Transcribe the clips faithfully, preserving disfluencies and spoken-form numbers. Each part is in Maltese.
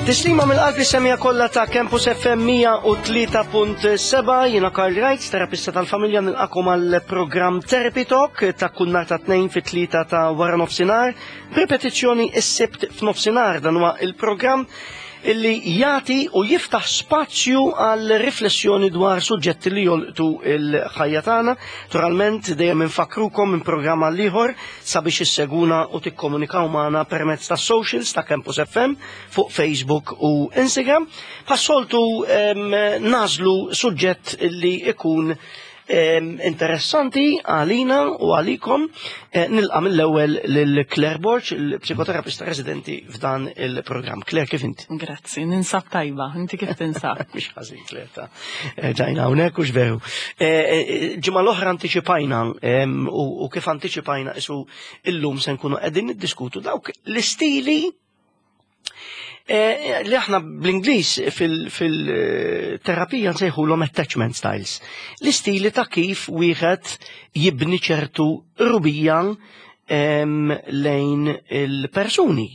Tislima mill-qalb is-semmiegħa kollha ta' Campus F M mija u tlieta punt seba', jiena Karl Wright, terapista tal-familja, nilqagħkom għal programm Therapy Talk ta' kull nhar ta' Tnejn fit-tlieta ta' wara nofsinhar, ripetizzjoni is-Sibt f'nofsinhar. Dan huwa il-programm illi jagħti u jiftaħ spazju għal riflessjoni dwar suġġetti li jolqtu il-ħajja tagħna. Naturalment dejjem infakkrukom minn programm għal ieħor sabiex isseguna u tikkomunikaw magħna permezz ta' socials ta' Campus F M fuq Facebook u Instagram. Bħas-soltu nagħżlu suġġett li ikun interessanti għalina u għalikom. eh, Nilqa' mill-ewwel lil Claire Borg, il-psikoterapista residenti f'dan il-programm. Claire, kif inti? Grazzi, ninsab tajba. Inti kif tinsab? Mhux ħażin, Claire, ta' eh, ġajna hawnhekk u veru. Eh, ġimgħa l-oħra antiċipajna u kif antiċipajna isu illum se nkunu qegħdin niddiskutu dawk l-istili Eh, li aħna bl-Ingliż fil-terapija nsejħulhom attachment styles. L-istili ta' kif wieħed jibni ċertu qrubija lejn il-persuni.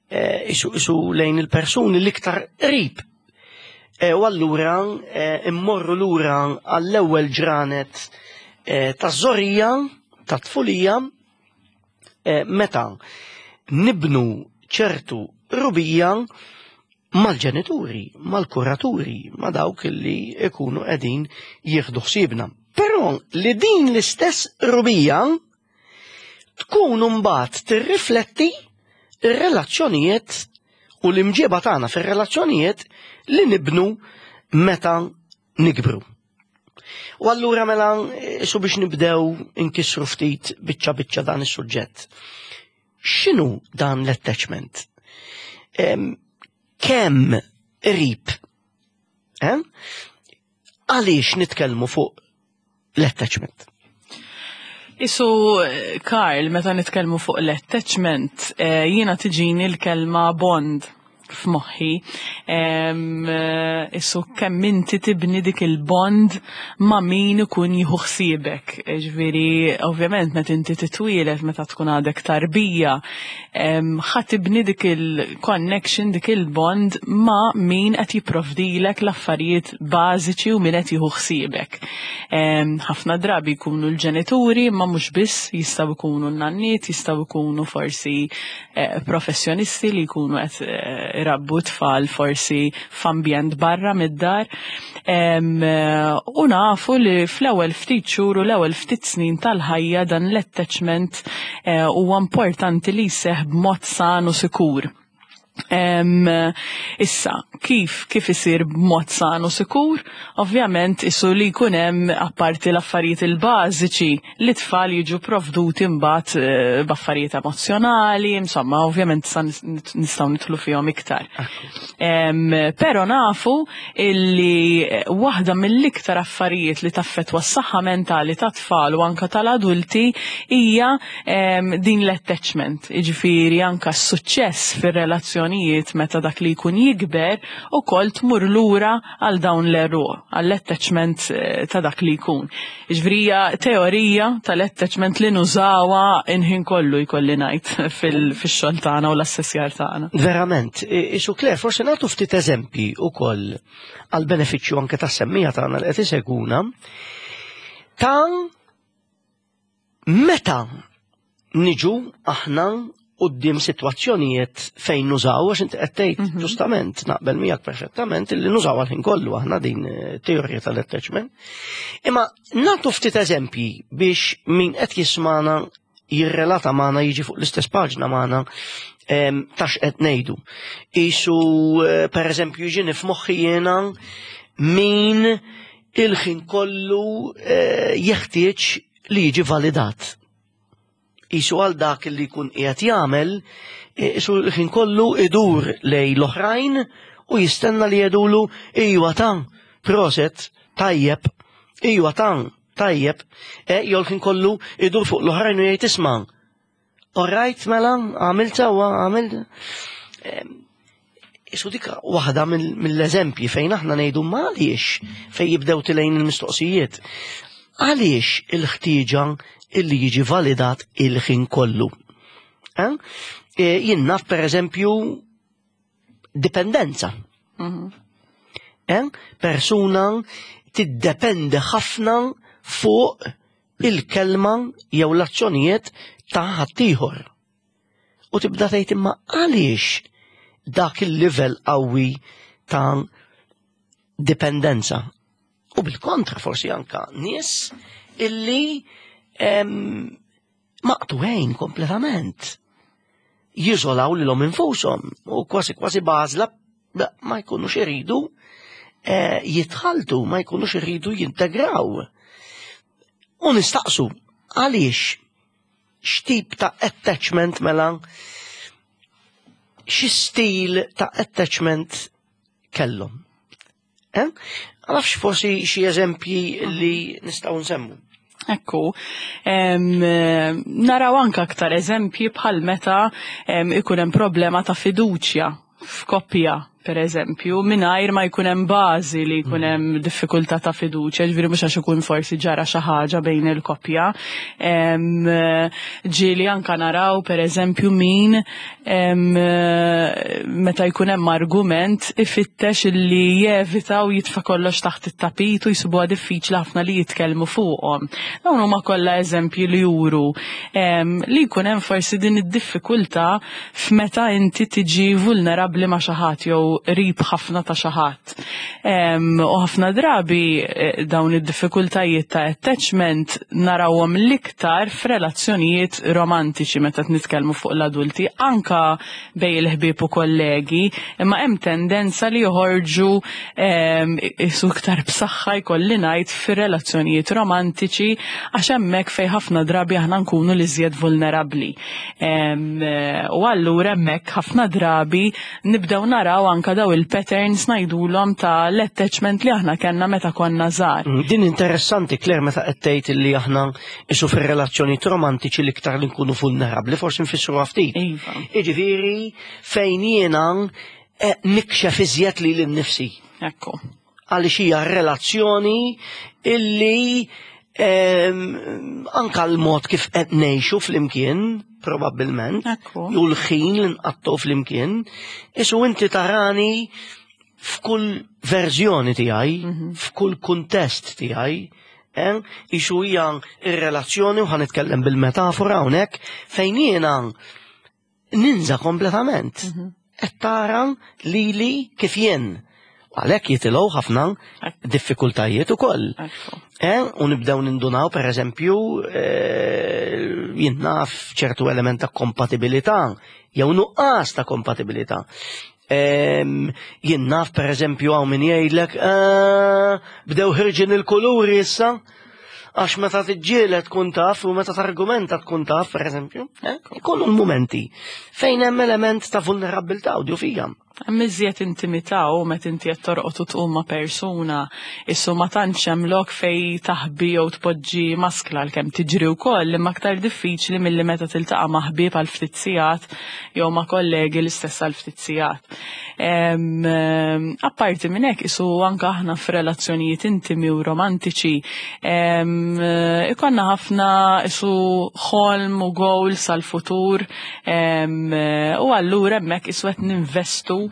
Eh, isu lejn il-persuni l-iktar qrib. Eh, u allura immorru lura għall-ewwel ġranet ta' żgħorija, ta' tfulija, meta nibnu ċertu qrubija mal-ġenituri, mal-kuraturi, ma' dawk li ikunu qegħdin jieħdu ħsiebna. Però li din l-istess qrubija tkun mbagħad tirrifletti ir-relazzjonijiet u l-imġieba tagħna fir-relazzjonijiet li nibnu meta nikbru. U allura mela su biex nibdew inkissru ftit biċċa biċċa dan is-suġġett. X'inhu dan l-attachment? Kemm qrib? Eh? Għaliex nitkellmu fuq l-attachment? Isu, Karl, meta nitkellmu fuq l-attachment, eh, jiena tiġini l-kelma bond f'moħħi. Em, eh, Isu kemm inti tibni dik il-bond ma' min ikun jieħu ħsiebek. Ġifieri, ovvjament, meta inti titwielet, meta tkun għadek tarbija, em, ħa tibni dik il-connection, dik il-bond ma' min qed jipprovdilek l-affarijiet bażiċi u min qed jieħu ħsiebek. Em, Ħafna drabi jkunu l-ġenituri, ma mhux biss, jistgħu jkunu n-nanniet, jistgħu jkunu forsi eh, professjonisti li jkunu qed eh, irabbu tfal forsi f'ambjent barra mid-dar. Em, eh, U nafu li fl-ewwel ftit xhur u l-ewwel ftit snin tal-ħajja dan l-attachment eh, huwa importanti li jseħħ b'mod san u sikur. Em, issa, kif kif isir b'mod san u sikur? Ovvjament, isu li jkun hemm apparti l-affarijiet il-bażiċi li tfal jiġu provduti mbagħad eh, b'affarijiet emozzjonali, insomma, ovvjament sa nistgħu nidħlu fihom iktar. Em, Però nafu illi eh, waħda mill-iktar affarijiet li taffetwa s-saħħa mentali ta' tfal u anka tal-adulti hija em, din l-attachment. Jiġifieri anka s-suċċess fir-relazzjonijiet meta dak li jkun jikber ukoll tmur lura għal dawn l-għeruq, għall-attachment eh, ta' dak li jkun. Jiġifieri hija teorija tal-attachment li nużawha il-ħin kollu, jkolli ngħid, fil-xogħol tagħna u l-assessjar tagħna. Verament, isu Claire, forse nagħtu ftit eżempji ukoll għal benefiċċju anke tas-semmiegħa tagħna li qed iseguna ta' meta niġu aħna quddiem sitwazzjonijiet fejn nużaw, għax inti qed tgħid mhm. ġustament, naqbel miegħek perfettament, illi nużaw għal-ħin kollu aħna din eh, teorija tal-attachment. Imma nagħtu ftit eżempji biex min qed jismana jirrelata magħna, jiġi fuq l-istess paġna magħna ta' x'qed ngħidu. Isu eh, per eżempju jiġini f'moħħi jiena min il-ħin kollu eh, jeħtieġ li jiġi validat. Isu għal dak li jkun qiegħed jagħmel, eh, isu l-ħin kollu idur lejn l-oħrajn u jistenna li jgħidulu "Ijwa ta, proset, tajjeb, ijwa ta, tajjeb", e jew l-ħin kollu idur fuq l-oħrajn u jgħid "Isma'. Alright, mela, għamilt sewwa, għamilt." Isu dik waħda mill-eżempji fejn aħna ngħidu ma għaliex, fejn jibdew tilgħin il-mistoqsijiet. Għaliex il-ħtieġa illi jiġi validat il-ħin kollu? Eh? E, jien naf per eżempju Dipendenza. Eh? Persuna tiddependi ħafna fuq il-kelma jew l-azzjonijiet ta' ħaddieħor. U tibda tgħid, imma għaliex dak il-livell qawwi ta' dipendenza? U bil-kontra, forsi anka nies illi em, maqtugħin kompletament. Jiżolaw lilhom infushom u kważi kważi bażla ma jkunux iridu eh, jitħaltu, ma jkunux iridu jintegraw. U nistaqsu, għaliex, x'tip ta' attachment mela, xi stil ta' attachment kellhom? Eh? Għalafx forsi xi eżempji li nistgħu nsemmu. Ekku, em, naraw anka aktar eżempji bħal meta em, ikun hemm problema ta' fiduċja f'koppja, per eżempju, mingħajr ma jkun hemm bażi li jkun hemm diffikultà ta' fiduċja, ġifieri mhux għax ikun forsi ġara xi ħaġa bejn il-koppja. Em, Ġieli anka naraw, per eżempju, min em, meta jkun hemm argument ifittex li jevita u jitfa' kollox taħt it-tapit u jsibuha diffiċli ħafna li jitkellmu fuqhom. Dawn huma kollha eżempji li juru em, li jkun hemm forsi din id-diffikultà f'meta inti tiġi vulnerabbli ma' xi ħadd jew qrib ħafna ta' xi ħadd. Em, U ħafna drabi eh, dawn id-diffikultajiet ta' attachment narawhom l-iktar f'relazzjonijiet romantiċi meta nitkellmu fuq l-adulti, anka bejn il-ħbieb u kollegi, imma hemm tendenza li joħorġu em, isu iktar b'saħħa, jkolli ngħid, fir-relazzjonijiet romantiċi, għax hemmhekk fejn ħafna drabi aħna nkunu l-iżjed vulnerabbli. Em, eh, U allura hemmhekk ħafna drabi nibdew naraw anka daw il-patterns, ngħidulhom, ta' l-attachment li aħna kellna meta konna żgħar. Mm, Din interessanti, Claire, meta qed tgħid li aħna isu fir-relazzjoni romantiċi l-iktar li nkunu vulnerabbli, forsi nfissru ftit. Iva. Jiġifieri fejn jiena eh, nikxef iżjed lili nnifsi. Ekku. Għaliex hija relazzjoni illi em, anka l-mod kif qed ngħixu flimkien, probabbilment, Ekku. jew l-ħin li nqattgħu flimkien, isu inti tarani f'kull verżjoni tiegħi, f'kull kuntest tiegħi, eh, isu hija ir-relazzjoni, u ħa nitkellem bil-metafora hawnhekk, fejn jiena ninża kompletament. Qed tara lili kif jien. Għalhekk jitilgħu ħafna diffikultajiet ukoll. Ekku. Eh, u nibdew nindunaw, per eżempju, eh, jien naf, ċertu element ta' kompatibilità, jew nuqqas ta' kompatibilità. Em, Jien naf, per eżempju, hawn min jgħidlek, "Eh, bdew ħerġin il-kuluri issa, għax meta tiġġieled tkun taf u meta targumenta tkun taf", per eżempju, eh? Ikunu l-momenti fejn hemm element ta' vulnerabilità u djufija. Hemm iżjed intimità, u meta inti qed torqod u tqum ma' persuna, issu ma tantx hemm lok fej taħbi jew tpoġġi maskla, għalkemm tiġri wkoll, imma aktar diffiċli milli meta tiltaqa' ma' ħbieb għal ftit sigħat jew ma' kollegi l-istess għal ftit sigħat. Em, em, Apparti minn hekk, isu anke aħna f'relazzjonijiet intimi u romantiċi em, ikonna ħafna isu ħolm u goals għal futur em, u allura hemmhekk isu qed ninvestu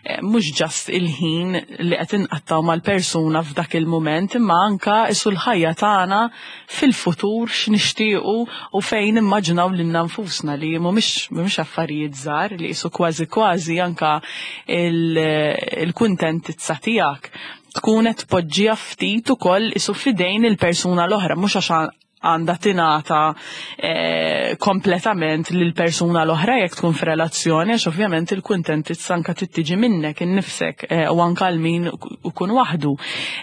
eh, mhux just il-ħin li qed inqattaw mal-persuna f'dak il-mument, imma anka isu l-ħajja tagħna fil-futur, x'nixtiequ u fejn immaġinaw lilna nfusna, li mhumiex mhumiex affarijiet żgħar, li isu kważi kważi anka il-kuntentizza tiegħek tkun qed tpoġġiha ftit ukoll isu fidejn il-persuna l-oħra, mhux għax għandha tingħata eh, kompletament lil persuna l-oħra jekk tkun f'relazzjoni, għax ovvjament il-kuntentizza anka tittiġi minnek innifsek eh, u anka għal min ikun waħdu.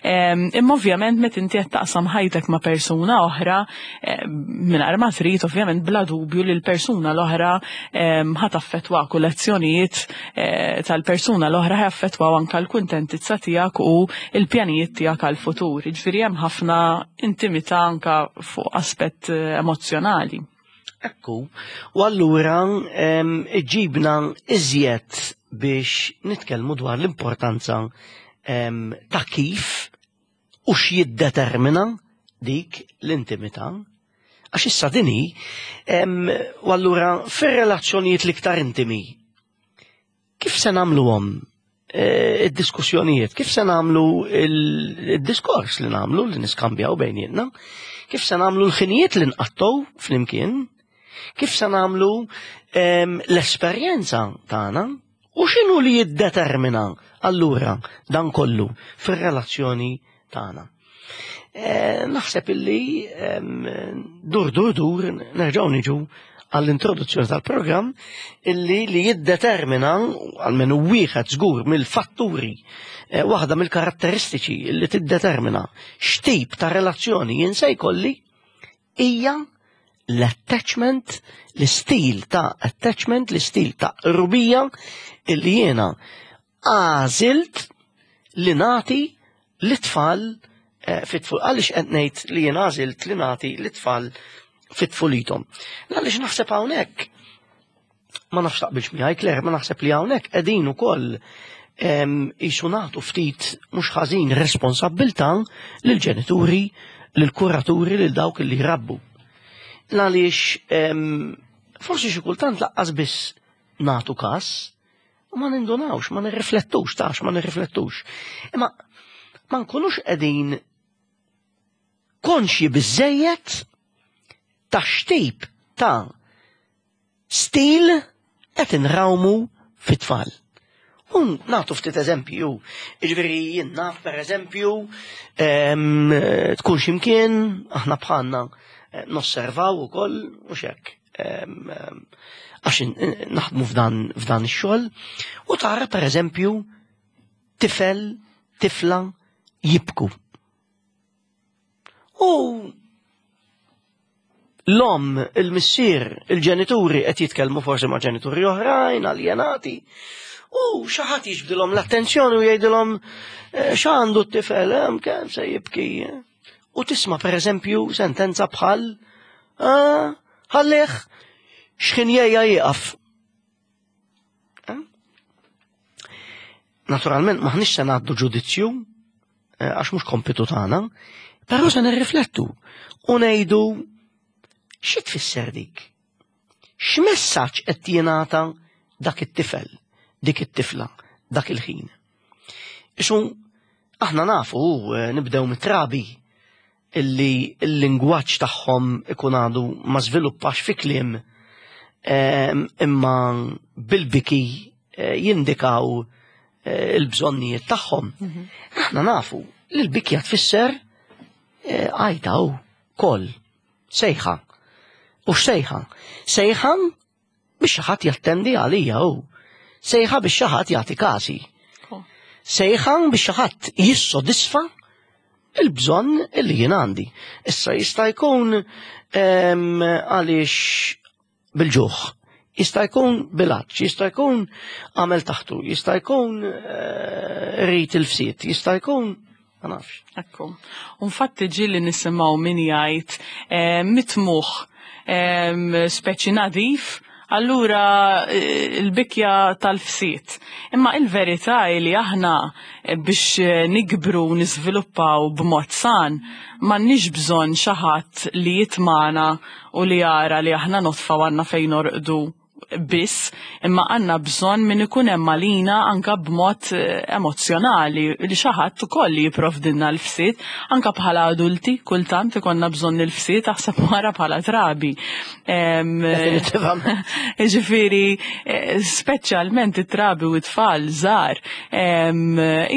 Em, Imma ovvjament meta inti qed taqsam ħajtek ma' persuna oħra, eh, mingħajr ma trid, ovvjament, bla dubju li l-persuna l-oħra em, ħa taffettwak u l-azzjonijiet eh, tal-persuna l-oħra ħa jaffettwaw anka l-kuntentizza tiegħek u l-pjanijiet tiegħek għal-futur. Jiġifieri hemm ħafna intimità anka fuq aspett eh, emozjonali. Ekku, u allura em, iġibna iżjed biex nitkellmu dwar l-importanza em, ta' kif u x'jiddetermina dik l-intimità. Għax issa dini, em, u allura fir-relazzjonijiet l-iktar intimi, kif se nagħmluhom eh, id-diskussjonijiet, kif se nagħmlu il-diskors li nagħmlu li niskambjaw bejnietna, kif se nagħmlu l-ħinijiet li nqattgħu flimkien, kif se nagħmlu ehm, l-esperjenza tagħna u x'inhu li jiddetermina allura dan kollu fir-relazzjoni tagħna. Eh, naħseb illi ehm, dur dur dur nerġgħu niġu għall-introduzzjoni tal-programm illi li jiddetermina għalmenu wieħed żgur mill-fatturi, eh, waħda mill-karatteristiċi li tiddetermina x'tip ta' relazzjoni jien se jkolli hija l-attachment, l-istil ta' attachment, l-istil ta' qrubija illi jiena għażilt li nagħti lit-tfal eh, fit-tful. Għaliex qed ngħid li jien għażilt li nagħti lit-tfal fit-tfulithom? Għaliex naħseb hawnhekk, ma nafx taqbilx miegħi, Claire, ma naħseb li hawnhekk qegħdin ukoll qisu nagħtu ftit mhux ħażin responsabbiltà lill-ġenituri, lill-kuraturi, lil dawk li jrabbu. Għaliex forsi xi kultant lanqas biss nagħtu kas u ma nindunawx, ma nirriflettux, tax, ma nirriflettux. Imma ma nkunux qegħdin konxji biżejjed ta' x'tip ta' stil qed inrawmu fit-tfal. U nagħtu ftit eżempju, jiġifieri jien naf, per eżempju, tkun ximkien, aħna bħalna eh, nosservaw ukoll u xek. Għax naħdmu f'dan f'dan ix-xogħol u tara, per eżempju, tifel, tifla jibku. U l-omm, il-missier, il-ġenituri qed jitkellmu forsi ma' ġenituri oħrajn, aljenati. U xi ħadd jiġbdilhom l-attenzjoni u jgħidilhom, eh, x'għandu t-tifel, hemm kemm se jibki. U tisma', per eżempju, sentenza bħal, "Ah, ħallih, x'ħin jgħejja jieqaf." Eh? Naturalment maħniex se ngħaddu ġudizzju, eh, għax mhux kompitu tagħna, però se nirriflettu u ngħidu, xi tfisser dik? X'messaġġ qed jingħata dak it-tifel, dik it-tifla, dak il-ħin? Isu aħna nafu, eh, nibdew mit-trabi illi l-lingwaġġ tagħhom ikun għadu ma żviluppax fi kliem, em, imma bil-biki eh, jindikaw eh, il-bżonnijiet tagħhom. Aħna nafu li l-bikja tfisser eh, għajta u koll, sejħa. U x'sejħa? Sejħa biex xi ħadd jattendi għalija u. Sejħa biex xi ħadd jagħti kasi. Sejħa biex xi ħadd jissodisfa il-bżonn illi jien għandi. Issa jista' jkun em, għaliex bil-ġuħ, jista' jkun bil-għatx, jista' jkun għamel taħtu, jista' jkun eh, rrit il-fsiet, jista' jkun ma nafx. Ekku. Infatti ġieli nisimgħu min jgħid eh, mitmugħ em, speċi nadif, allura eh, il-bikja tal-fsiet. Imma il-verità hi li aħna eh, biex eh, nikbru u niżviluppaw b'mod san, m'għandniex bżonn xi ħadd li jitmagħna u li jara li aħna nodfa u għandna fejn norqdu biss, imma għandna bżonn min ikun hemm għalina anka b'mod eh, emozzjonali, li xi ħadd ukoll li jipprovdilna l-fsiet, anka bħala adulti kultant ikollna bżonn il-fsiet, aħseb wara bħala trabi. Em, Definitivament. Ġifieri, eh, speċjalment it-trabi u t-tfal żgħar, em,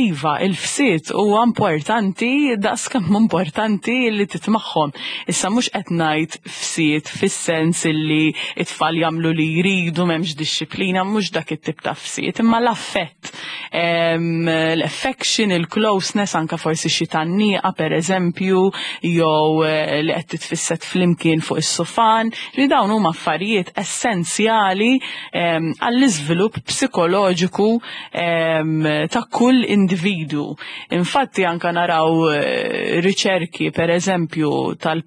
iva, il-fsiet huwa importanti daqs kemm importanti li titmagħhom. Issa mhux qed ngħid fsiet fis-sens illi it-tfal jagħmlu li jridu, m'hemmx dixxiplina, mhux dak it-tip ta' fsiet, imma l-affett, em, l-affection, il-closeness, anka forsi xi tgħanniqa, per eżempju, jew eh, li qed titfisset flimkien fuq is-sofan, li dawn huma affarijiet essenzjali em, għall-iżvilupp psikoloġiku em, ta' kull individu. Infatti anka naraw eh, riċerki, per eżempju, tal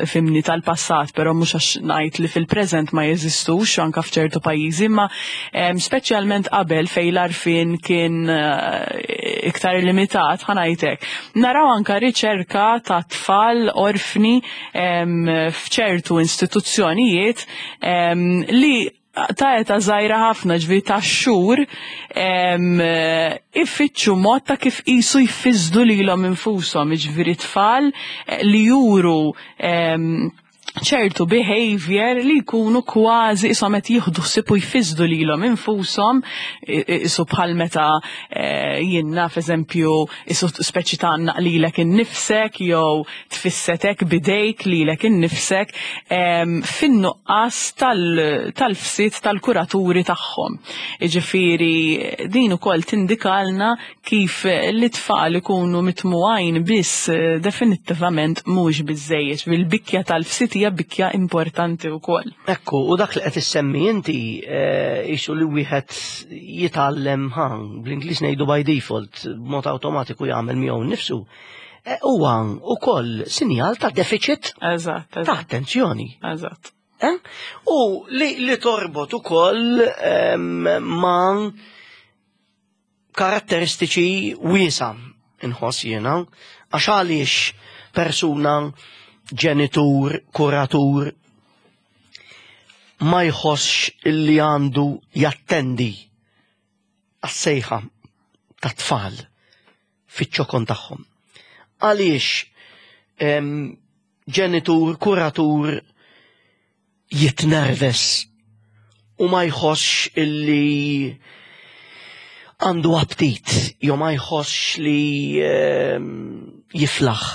fimni tal-passat, però mhux għax ngħid li fil-preżent ma jeżistux anka f'ċertu pajjiżi, imma em, speċjalment qabel fejn l-għarfien kien eh, iktar limitat, ħa ngħidlek. Naraw anka riċerka ta' tfal orfni em, f'ċertu istituzzjonijiet em, li ta' età żgħira ħafna, ġifieri ta' xhur, ifittxu mod ta' kif qisu jfissdu lilhom infushom, ġifieri tfal eh, li juru ċertu behavior li jkunu kważi isom qed jieħdu ħsieb u jfissdu lilhom infushom, isu bħal meta eh, jien naf, eżempju, isu speċi ta' lilek innifsek jew tfissetek bidejk lilek innifsek fin-nuqqas tal-fsit tal-kuraturi tagħhom. Jiġifieri din ukoll tindikalna kif l-tfal ikunu mitmugħin biss eh, definittivament mhux biżejjed. Bil-bikja tal-fsit hija bikja importanti wkoll. Ekku, u dak li qed issemmi inti qisu li wieħed jitgħallem ħan, bl-Ingliż ngħidu by default, b'mod awtomatiku jagħmel miegħu nnifsu. Eh, huwa ukoll sinjal ta' deficit Eżatt, ta' attenzjoni. Eżatt. Eh? U li, li torbot ukoll ma' karatteristiċi wiesa inħoss jiena, għax għaliex persuna, ġenitur, kuratur, ma jħossx illi għandu jattendi għas-sejħa ta' tfal fiċ-ċokon tagħhom? Għaliex ġenitur, kuratur jitnerves u ma jħossx illi għandu aptit jew ma jħossx li jiflaħ?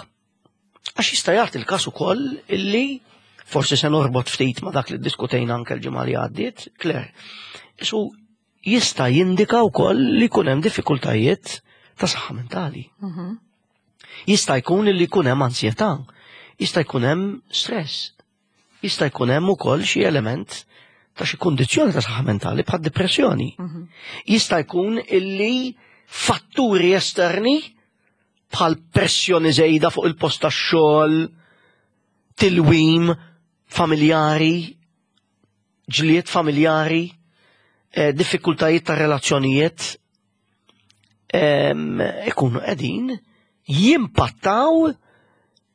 Għax jista' jagħti il-każ ukoll illi forsi se norbot ftit ma dak li diskutejna anke l-ġimgħa li għaddiet, Claire. Isu jista' jindika wkoll li jkun hemm diffikultajiet ta' saħħa mentali. Mhm. Jista' jkun li jkun hemm ansjetà, jista' jkun hemm stress, jista' jkun hemm ukoll xi element ta' xi kundizzjoni ta' saħħa mentali bħad depressjoni. Mhm. Jista' jkun illi fatturi esterni bħal pressjoni żejda fuq il-post tax-xogħol, tilwim familjari, ġlied familjari, eh, diffikultajiet ta' relazzjonijiet, em, ikunu qegħdin jimpattaw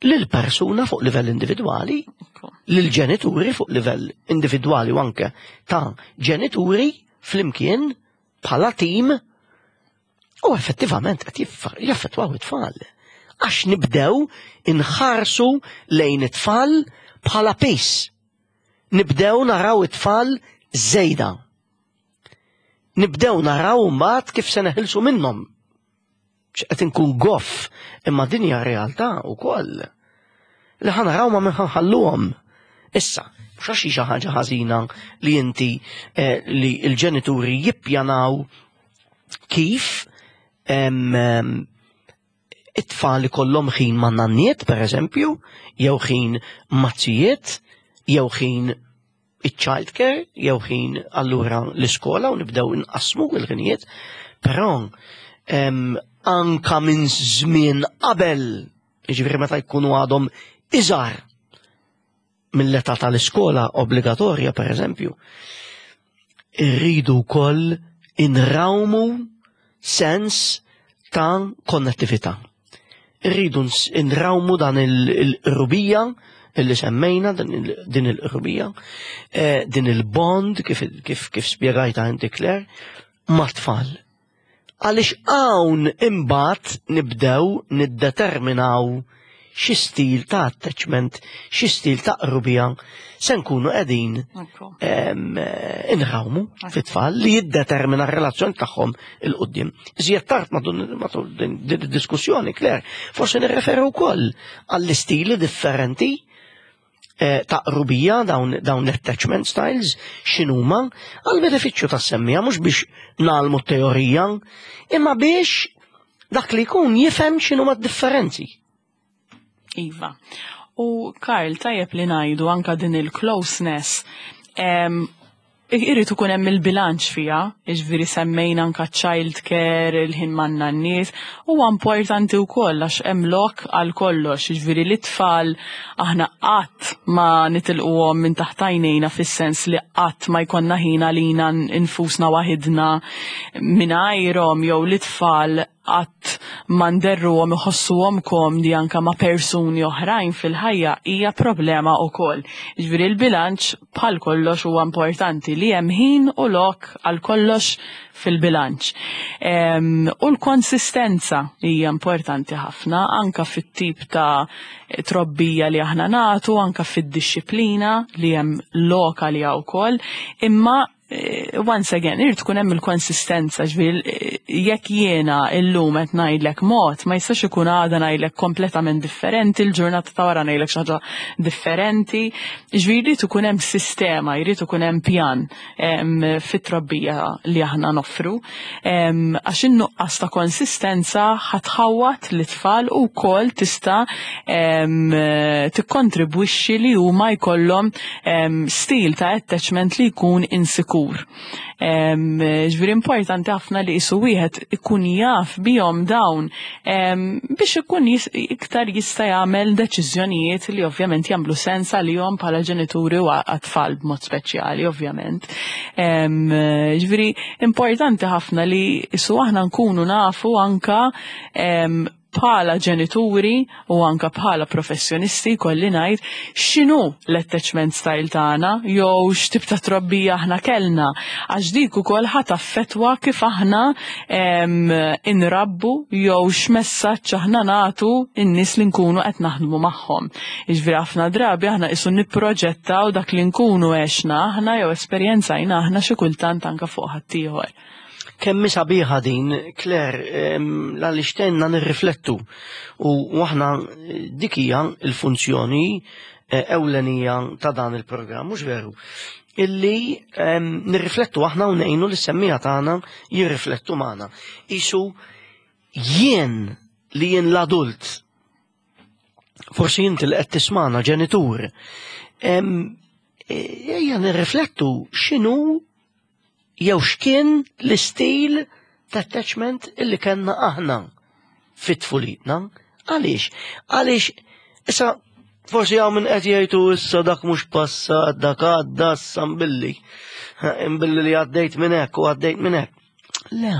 lil persuna fuq livell individwali, Ekku. lil ġenituri fuq livell individwali u anke ta' ġenituri flimkien bħala tim u effettivament qed jiff- jaffettwaw it-tfal. Għax nibdew inħarsu lejn it-tfal bħala piż. Nibdew naraw it-tfal żejda. Nibdew naraw mbagħad kif se neħilsu minnhom. X'qed inkun goff, imma din hija realtà wkoll. Li ħa naraw ma' min ħalluhom. Issa, mhux għax hi xi ħaġa ħażina li inti eh, li l-ġenituri jippjanaw kif em, em, it-tfal ikollhom ħin ma' nanniet, per eżempju, jew ħin maz-zijiet, jew ħin iċ-child care, jew ħin allura l-iskola u nibdew inqasmu l-ħinijiet, però em, anka minn żmien qabel, jiġifieri meta jkunu għadhom iżgħar mill-età tal-iskola obbligatorja, per eżempju, irridu wkoll inrawmu sens ta' konnettività. Irridu ns- inrawmu dan il-qrubija illi semmejna, din il- din il-qrubija, eh, din il-bond, kif, kif, kif spjegajta inti, Claire, ma' tfal. Għaliex hawn imbagħad nibdew niddeterminaw xi stil ta' attachment, xi stil ta' qrubija se nkunu qegħdin Ekku. em, eh, inrawmu fit-tfal li jiddetermina r-relazzjoni tagħhom 'il quddiem. Iżjed tard matul matul din din id-diskussjoni, Claire, forsi nirreferu wkoll għall-istili differenti eh, ta' qrubija, dawn, dawn l-attachment styles, x'inhuma għal benefiċċju tas-semmiegħa, mhux biex nagħmlu teorija, imma biex dak li jkun jifhem x'inhuma d-differenzi. Iva. U Karl, tajjeb li ngħidu anka din il-closeness. Em, Irrid ikun hemm il-bilanċ fiha, jiġifieri semmejna anka child care, il-ħin man-nanniet, huwa importanti wkoll għax hemm lok għal kollox, jiġifieri li tfal aħna qatt ma nitilquhom minn taħt għajnejna fis-sens li qatt ma jkollna ħin għalina nfusna waħidna mingħajrhom jew li tfal qatt ma nderruhom iħossuhom komdi anka ma' persuni oħrajn fil-ħajja hija problema wkoll. Ġifieri l-bilanċ bħal kollox huwa importanti li hemm ħin u lok għal kollox fil-bilanċ. U l-konsistenza hija importanti ħafna anka fit-tip ta' trobbija li aħna nagħtu, anka fid-dixxiplina li hemm lok għaliha wkoll, imma eh, once again, irid tkun hemm il-konsistenza, ġifieri eh, jekk jiena illum qed ngħidlek mod, ma jistax ikun għada ngħidlek kompletament differenti, il-ġurnata ta' wara ngħidlek xi ħaġa differenti. Ġifieri jrid ikun hemm sistema, jrid ikun hemm pjan fit-trobbija li aħna noffru. Għax in-nuqqas ta' konsistenza ħa tħawwad lit-tfal u wkoll tista' tikkontribwixxi li huma jkollhom stil ta' attachment li jkun insikur. Ġifieri importanti ħafna li qisu wieħed ikun jaf bihom dawn biex ikun iktar jista' jagħmel deċiżjonijiet li ovvjament jagħmlu sens għalihom bħala ġenituri u għat-tfal b'mod speċjali ovvjament. Ġifieri importanti ħafna li qisu aħna nkunu nafu anka bħala ġenituri u anka bħala professjonisti kolli ngħid x'inhu l-attachment style tagħna jew x'tip ta' trobbija aħna kellna, għax dik ukoll ħa taffettwa kif aħna inrabbu jew x'messaġġ aħna nagħtu in-nies li nkunu qed naħdmu magħhom. Jiġifieri ħafna drabi aħna qisu nipproġettaw dak li nkunu għexna aħna jew esperjenzajna aħna xi kultant anka fuq ħaddieħor. Kemm sabiħa din, Claire, għaliex tgħinna nirriflettu. U aħna dik hija l-funzjoni eh, ewlenija ta' dan il-programm, mhux veru? Illi nirriflettu aħna u ngħinu lis-semmiegħa tagħna jirriflettu magħna. Isu jien li jien l-adult, forsi inti li qed tismana ġenitur, ejja nirriflettu x'inhu jew x'kien l-istil ta' attachment illi kellna aħna fit-tfulitna. Għaliex? Għaliex, issa forsi hawn min qed jgħidu issa dak mhux passat, dak għadda issa mbilli. Mbilli li għaddejt minn hekk u għaddejt minn hekk. Le,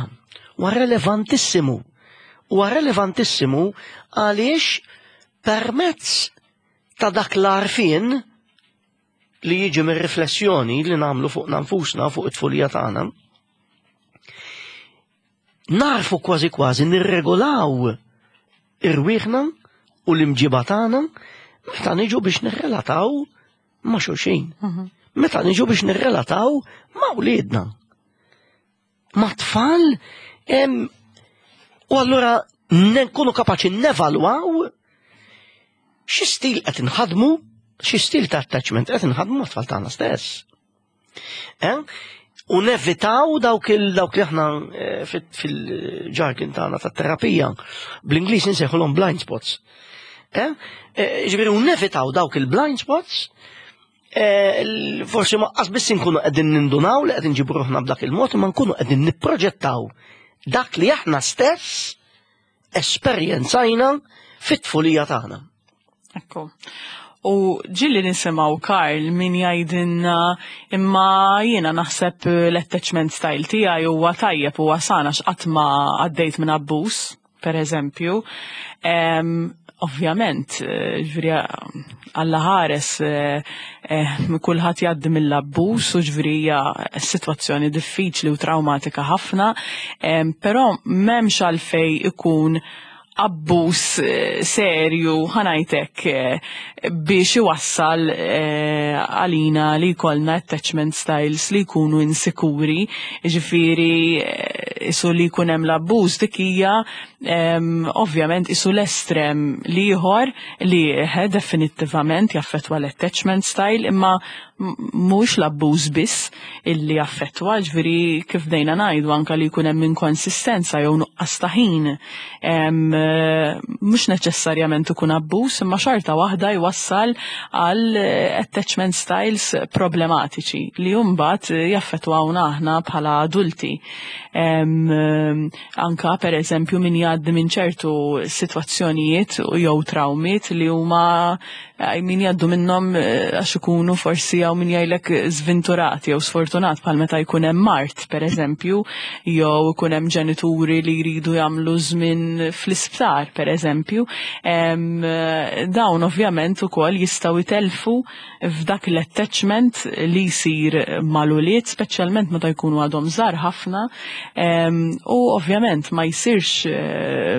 huwa relevantissimu. Huwa relevantissimu għaliex permezz ta' dak l-għarfien li jiġi mir-riflessjoni li nagħmlu fuq nfusna, fuq it-tfulija tagħna, narfu kważi kważi nirregolaw irwieħna u l-imġiba tagħna meta niġu biex nirrelataw ma' xulxin. Mhm. Meta niġu biex nirrelataw ma' wliedna. Ma' tfal u allura nkunu kapaċi nevalwaw xi stil qed inħadmu, xi stil ta' attachment qed inħadmu ma' tfal tagħna stess. Eh? U nevitaw dawk il dawk li aħna eh, fil-jargon tagħna tat-terapija bl-Ingliż insejħulhom blind spots. Eh? Ġifieri u nevitaw dawk il-blind spots, forsi ma qas biss nkunu qegħdin nindunaw li qed inġibu ruħna b'dak il-mod, ma nkunu qegħdin nipproġettaw dak li aħna stess esperjenzajna fit-tfulija tagħna. Ekku. U ġieli nisimgħu, Karl, min jgħidilna imma jiena naħseb l-attachment style tiegħi huwa tajjeb, huwa sana, x'qatt ma għaddejt minn abbuż, per eżempju. Ovvjament, ġifieri Alla ħares eh, eh, kulħadd jgħaddi mill-abbuż u ġifieri hija sitwazzjoni diffiċli u traumatika ħafna, però m'hemmx għalfej ikun abbuż eh, serju, ħa ngħidlek, biex iwassal għalina li jkollna attachment styles li jkunu insikuri, ġifieri isu li jkun hemm l-abbuż dik hija ovvjament isu l-estrem l-ieħor li definittivament jaffettwa l-attachment style, imma mhux l-abbuż biss illi jaffettwa, ġifieri kif bdejna ngħidu anka li jkun hemm inkonsistenza jew nuqqas ta' ħin. Mhux neċessarjament ikun abbuż, imma xorta waħda jwassal għal attachment styles problematiċi li mbagħad jaffettwawna aħna bħala adulti. Anka per eżempju min jgħaddi minn ċertu sitwazzjonijiet jew trawmiet li huma min jgħaddu minnhom għax ikunu forsi jew min jgħidlek żventurati jew sfortunat, bħal meta jkun hemm mard per eżempju, jew ikun hemm ġenituri li jridu jagħmlu żmien fl-isptar per eżempju. Dawn ovvjament ukoll jistgħu jtelfu f'dak l-attachment li jsir mal-ulied, speċjalment meta jkunu għadhom żgħar ħafna, u ovvjament ma jsirx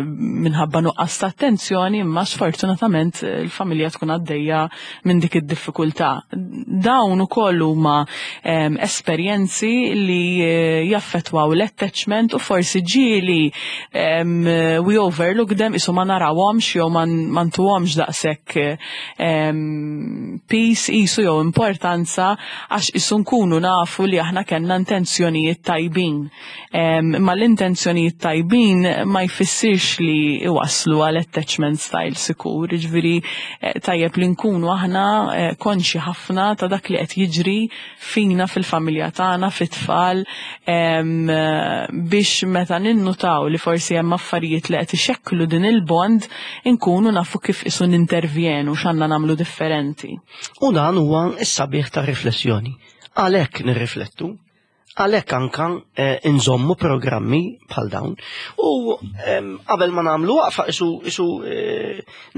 minħabba nuqqas ta' attenzjoni, imma sfortunatament il-familja tkun għaddejja minn dik id-diffikultà. Dawn ukoll huma esperjenzi li jaffettwaw l-attachment u forsi ġieli we overlook them, isu ma narawhomx jew ma ntuhomx daqshekk piż isu jew importanza għax isu nkunu nafu li aħna kellna intenzjonijiet tajbin. Ma l-intenzjonijiet tajbin ma jfissirx li iwasslu għal attachment style sikur, jiġifieri tajjeb li nkunu aħna konxi ħafna ta' dak li qed jiġri fina fil-familja tagħna, fit-tfal, biex meta ninnutaw li forsi hemm affarijiet li qed ixekklu din il-bond, inkunu nafu kif isu nintervjenu x'għandna nagħmlu differenti. U dan huwa s-sabiħ ta' riflessjoni. Għalhekk nirriflettu, għalhekk anka inżommu programmi bħal dawn. U qabel ma nagħmlu waqfa isu isu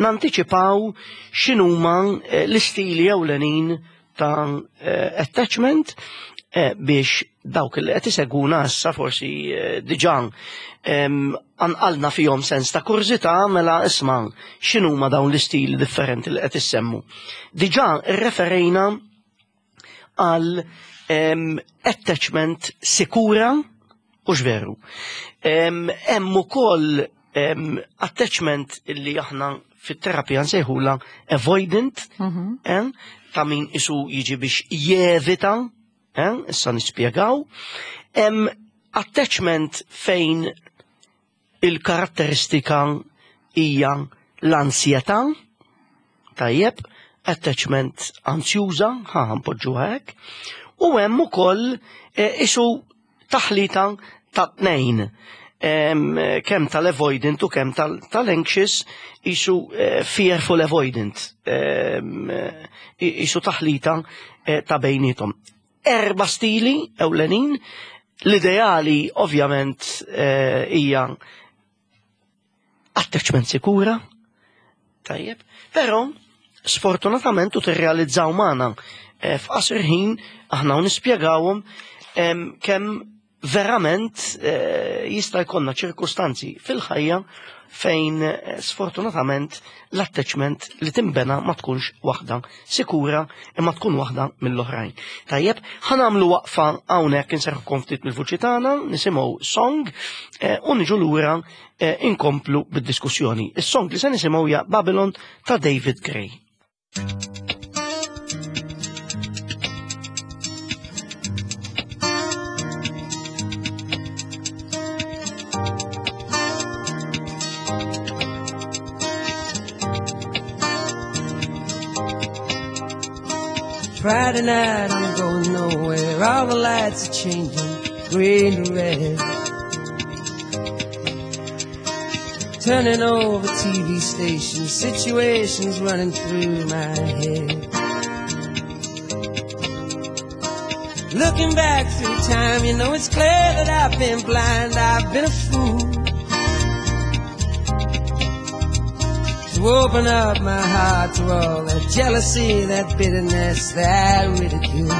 nantiċipaw x'inhuma l-istili ewlenin ta' attachment biex dawk li qed isegwuna issa forsi diġà anqalna fihom sens ta' kurżità, mela isma' x'inhuma dawn l-istili differenti li qed issemmu. Diġà rreferejna għal attachment sikura u x'veru. Hemm ukoll attachment li aħna fit-terapija nsejħula avoidant, ta' min isu jiġi biex jevita, issa nispjegaw. Hemm attachment fejn il-karatteristika hija l-ansjetà, tajjeb, attachment ansjuża, ħa npoġġuha hekk, u hemm ukoll isu taħlita ta' tnejn, kemm tal-avoidant u kemm tal-anxious, isu fearful avoidant, isu taħlita ta' bejnietom. Erba' stili ewlenin, l-ideali ovvjament hija attachment sikura, tajjeb, però sfortunatament u tirrealizzaw magħna f'qasir ħin aħna u nispjegawhom kemm verament jista' jkollna ċirkustanzi fil-ħajja fejn sfortunatament l-attachment li timbena ma tkunx waħda sikura imma tkun waħda mill-oħrajn. Tajjeb, ħa nagħmlu waqfa hawnhekk inserħukom ftit mill-vuċi tagħna, nisimgħu song u niġu lura inkomplu bid-diskussjoni. Is-song li se nisimgħu hija Babylon ta' David Gray. Friday night, I'm going nowhere. All the lights are changing, green to red. Turning over T V stations, situations running through my head. Looking back through time, you know it's clear that I've been blind, I've been a fool. To open up my heart to all that jealousy, that bitterness, that ridicule.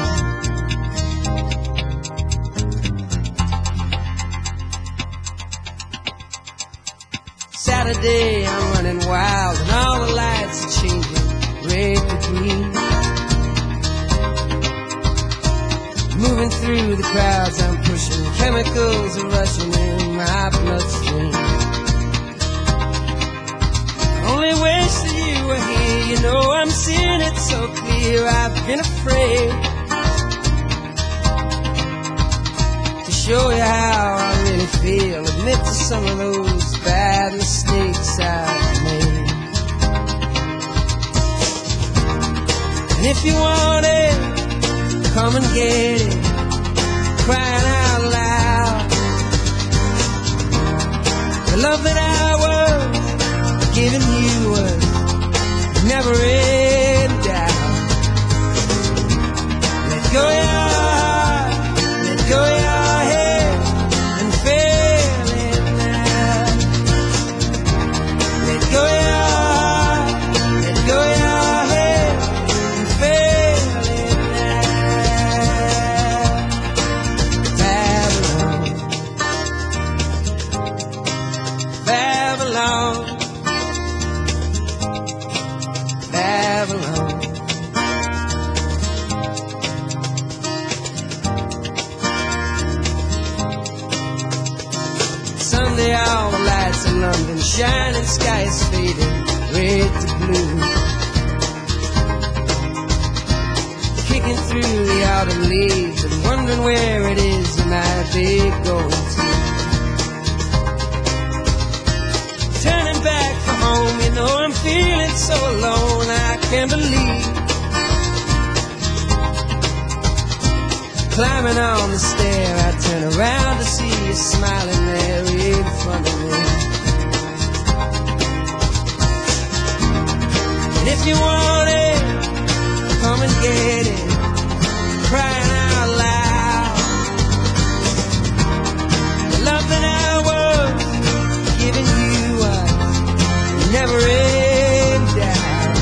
Saturday, I'm running wild, and all the lights are changing, red to green. Moving through the crowds, I'm pushing, chemicals are rushing in my bloodstream. Only wish that you were here, you know I'm seeing it so clear. I've been afraid to show you how I really feel, admit to some of those bad mistakes I've made. And if you want it, come and get it, crying out loud. The love that I was giving you was never in doubt. Let go your heart, let go your head, and feel it now. Let go your heart, let go your head, and feel it now. Babylon, Babylon, Babylon. Someday all the lights in London shining, sky is fading red to blue. Kicking through the autumn leaves and wondering where it is you might be going to. Turning back for home, you know I'm feeling so alone, I can't believe. Climbing on the stair, I turn around to see you smiling there in front of me. And if you want it, come and get it, crying out loud. The love that I was giving you was never in doubt.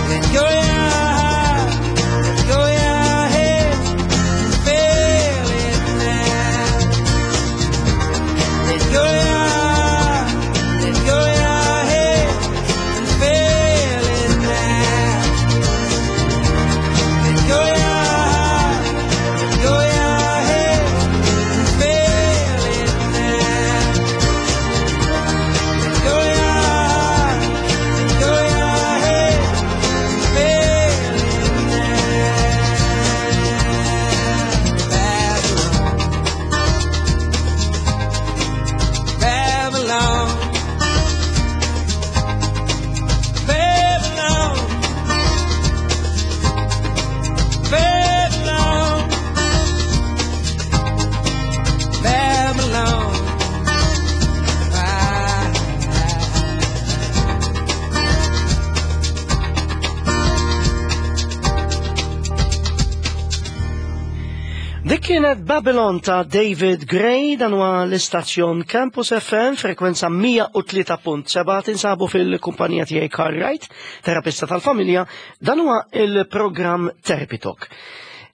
Let go your heart, let go your head, and feel it now. Let go your heart, let go your head, and feel it now. Let go your heart, let go your head, and feel it now. Let go your heart, let go your head, and feel it now. Babylon, Babylon, Babylon, Babylon, Babylon. Ah, ah. Dik kienet Babylon ta' David Gray, dan huwa l-istazzjon Campus F M, frekwenza mija u tlieta punt seba', tinsabu fil-kumpanija tiegħi Carl Wright, terapista tal-familja, dan huwa il-programm Therapy Talk.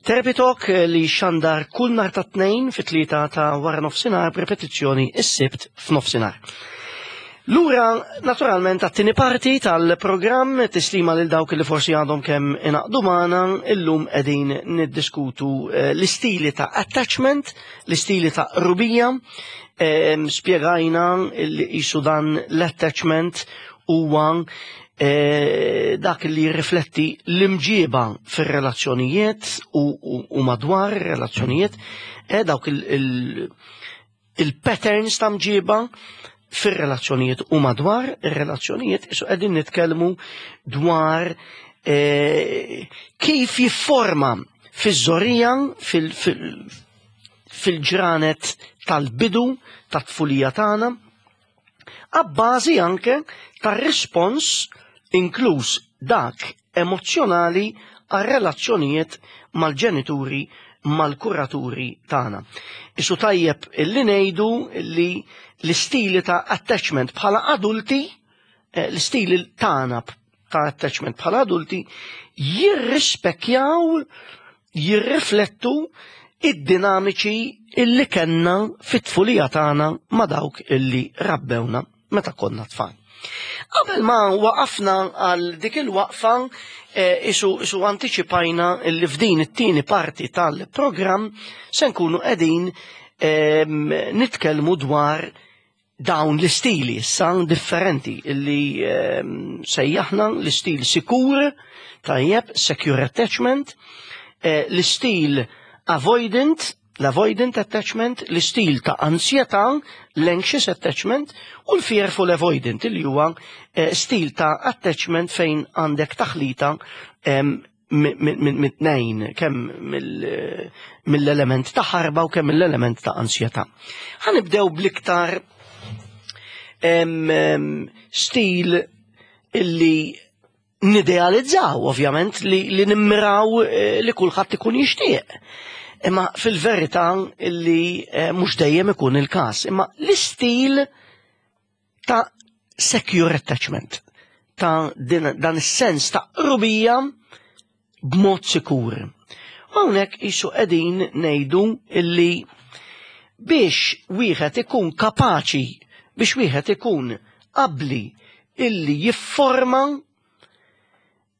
Therapy Talk li xandar kull nhar ta' tnejn fit-tlieta ta' wara nofsinhar b'repetizzjoni s-sibt f'nofsinhar. Lura, naturalment, għat-tieni parti tal-programm, tislima lil dawk li forsi għadhom kemm inaqdu magħna, illum qegħdin niddiskutu, eh, l-istili ta' attachment, l-istili ta' rubija, ehm, spjegajna li qisu dan l-attachment huwa, eh, dak li jirrifletti l-imġiba fir-relazzjonijiet u, u, u madwar ir-relazzjonijiet, eh, dawk il-, il-, il-patterns ta' mġiba fir-relazzjonijiet u madwar ir-relazzjonijiet, isu qegħdin nitkellmu dwar, eh, kif jifforma fiż-żorija, fil-, fil-, fil-ġranet tal-bidu tat-tfulija tagħna, abbażi anke tar-rispons inkluż dak emozzjonali għar-relazzjonijiet mal-ġenituri, mal-kuraturi tagħna. Isu tajjeb illi ngħidu li l-istili ta' attachment bħala adulti, eh, l-istili tagħna ta' attachment bħala adulti jirrispekjaw, jirriflettu id-dinamiċi illi kellna fit-tfulija tagħna ma' dawk illi rabbewna meta konna tfal. Qabel ma waqafna għal dik il-waqfa, eh, isu, isu antiċipajna illi f'din it-tieni parti tal-programm se nkunu qegħdin, ehm, nitkellmu dwar dawn l-istili issa differenti illi, ehm, sejjaħna l-istil sikur, tajjeb, secure attachment, eh, l-istil avoidant, L-avoidant attachment, l-istil ta' ansjetà, l-anxious attachment, u l-fearful avoidant, li huwa eh, stil ta' attachment fejn għandek taħlita mit-tnejn, kemm mill-element ta' ħarba u kemm mill-element ta' ansjetà. Ħa nibdew bl-iktar stil illi nidealizzaw, ovvjament, li, li nimmiraw eh, li kulħadd ikun jixtieq. Imma fil-verità illi eh, mhux dejjem ikun il-każ. Imma l-istil ta' secure attachment, ta' din, dan is-sens ta' qrubija b'mod sikur. Hawnhekk qisu qegħdin ngħidu illi biex wieħed ikun kapaċi, biex wieħed ikun qabli illi jifforma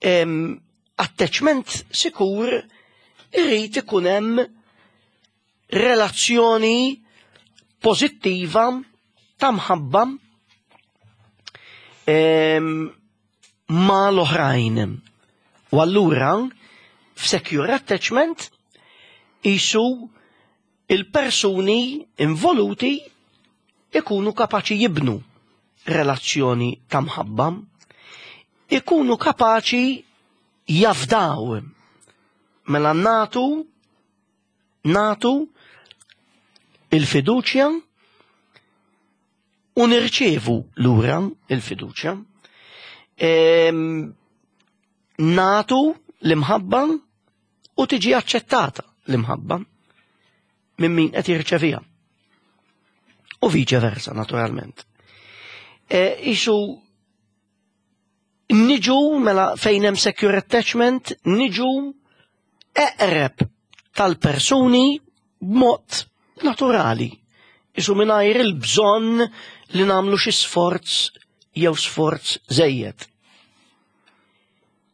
em, attachment sikur, irrid ikun hemm relazzjoni pożittiva ta' mħabba em, ma' l-oħrajn. U allura f'secure attachment qisu il-persuni involuti ikunu kapaċi jibnu relazzjoni ta' mħabba, ikunu kapaċi jafdaw. Mela natu, natu il-fiduċja u nirċevu lura il-fiduċja. Em, natu l-imħabba u tiġi aċċettata l-imħabba minn min qed jirċeviha. U vice versa, naturalment. E, qisu niġu mela fejn hemm secure attachment, niġu eqreb tal-persuni b'mod naturali. Qisu mingħajr il-bżonn li nagħmlu xi sforz jew sforz żejjed.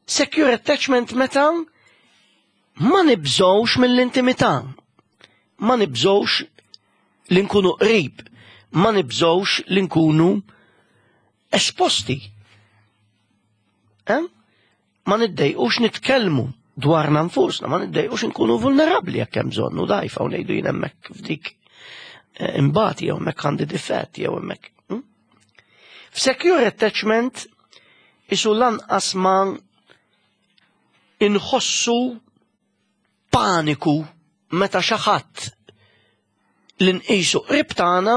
Secure attachment meta ma nibżgħux mill-intimità, ma nibżgħux li nkunu qrib, ma nibżgħux li nkunu esposti. Eh? Ma niddejqux nitkellmu dwarna nfusna, ma niddejqux nkunu vulnerabli jekk hemm bżonn u dgħajfa u ngħidu jien hemmhekk f'dik eh, imbati jew hemmhekk għandi difett jew hemmhekk. hm? F'secure attachment qisu lanqas ma inħossu paniku meta xi ħadd li nqisu qrib tagħna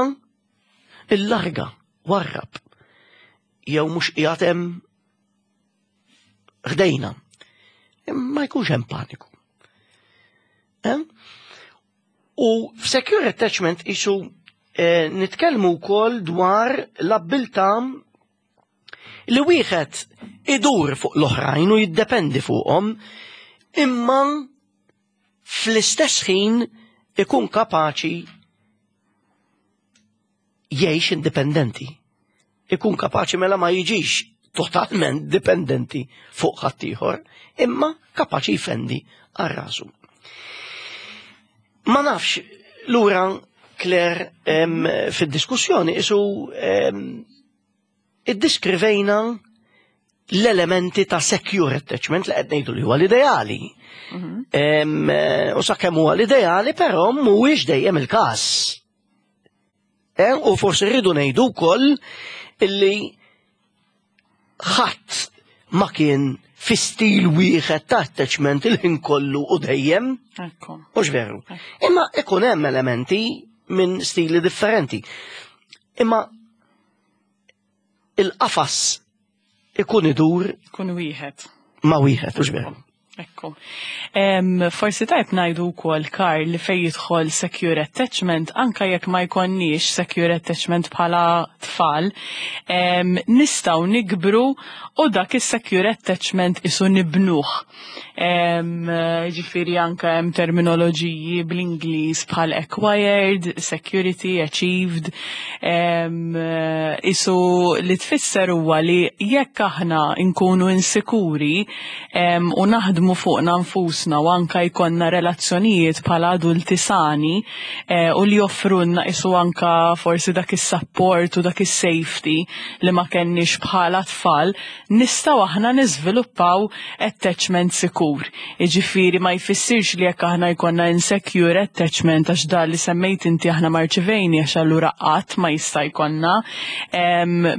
illarga, warrab, jew mhux qiegħed hemm ħdejna. Ma jkunx hemm paniku. Eh? U f'secure attachment qisu eh, nitkellmu wkoll dwar l-abbiltà li wieħed idur fuq l-oħrajn u jiddependi fuqhom, imma fl-istess ħin ikun kapaċi jgħix indipendenti. Ikun kapaċi mela ma jiġix totalment dipendenti fuq ħaddieħor, imma kapaċi jfendi għal rasu. Ma nafx, lura Claire, em, fid-diskussjoni qisu em, iddiskrivejna l-elementi ta' secure attachment li qed ngħidu li huwa l-ideali. Em, eh, U sakemm huwa l-ideali, però mhuwiex dejjem il-każ. Eh, U forsi rridu ngħidu wkoll illi ħadd ma kien fi stil wieħed ta' attachment il-ħin kollu u dejjem, Ekku. mhux veru. Imma ikun hemm elementi minn stili differenti. Imma il-qafas ikun idur Kun wieħed. ma' wieħed, mhux veru. Ekku. Em, forsi tajb ngħidu wkoll, Karl, li fej jidħol secure attachment, anka jekk ma jkonniex secure attachment bħala tfal, em, nistgħu nikbru u dak is-secure attachment qisu nibnuh. Em, Ġifieri anka hemm terminoloġiji bl-Ingliż bħal acquired, security, achieved. Em, qisu li tfisser huwa li jekk aħna nkunu insikuri em, u naħdmu naħdmu fuqna nfusna u anka jkollna relazzjonijiet bħala adulti sani eh, u li joffrulna isu anka forsi dak is-support u dak is-safety li ma kenniex bħala tfal, nistgħu aħna niżviluppaw attachment sikur. Iġifieri ma jfissirx li jekk aħna jkollna insecure attachment għax da li semmejt inti aħna ma rċivejniex, allura qatt ma jista' jkollna.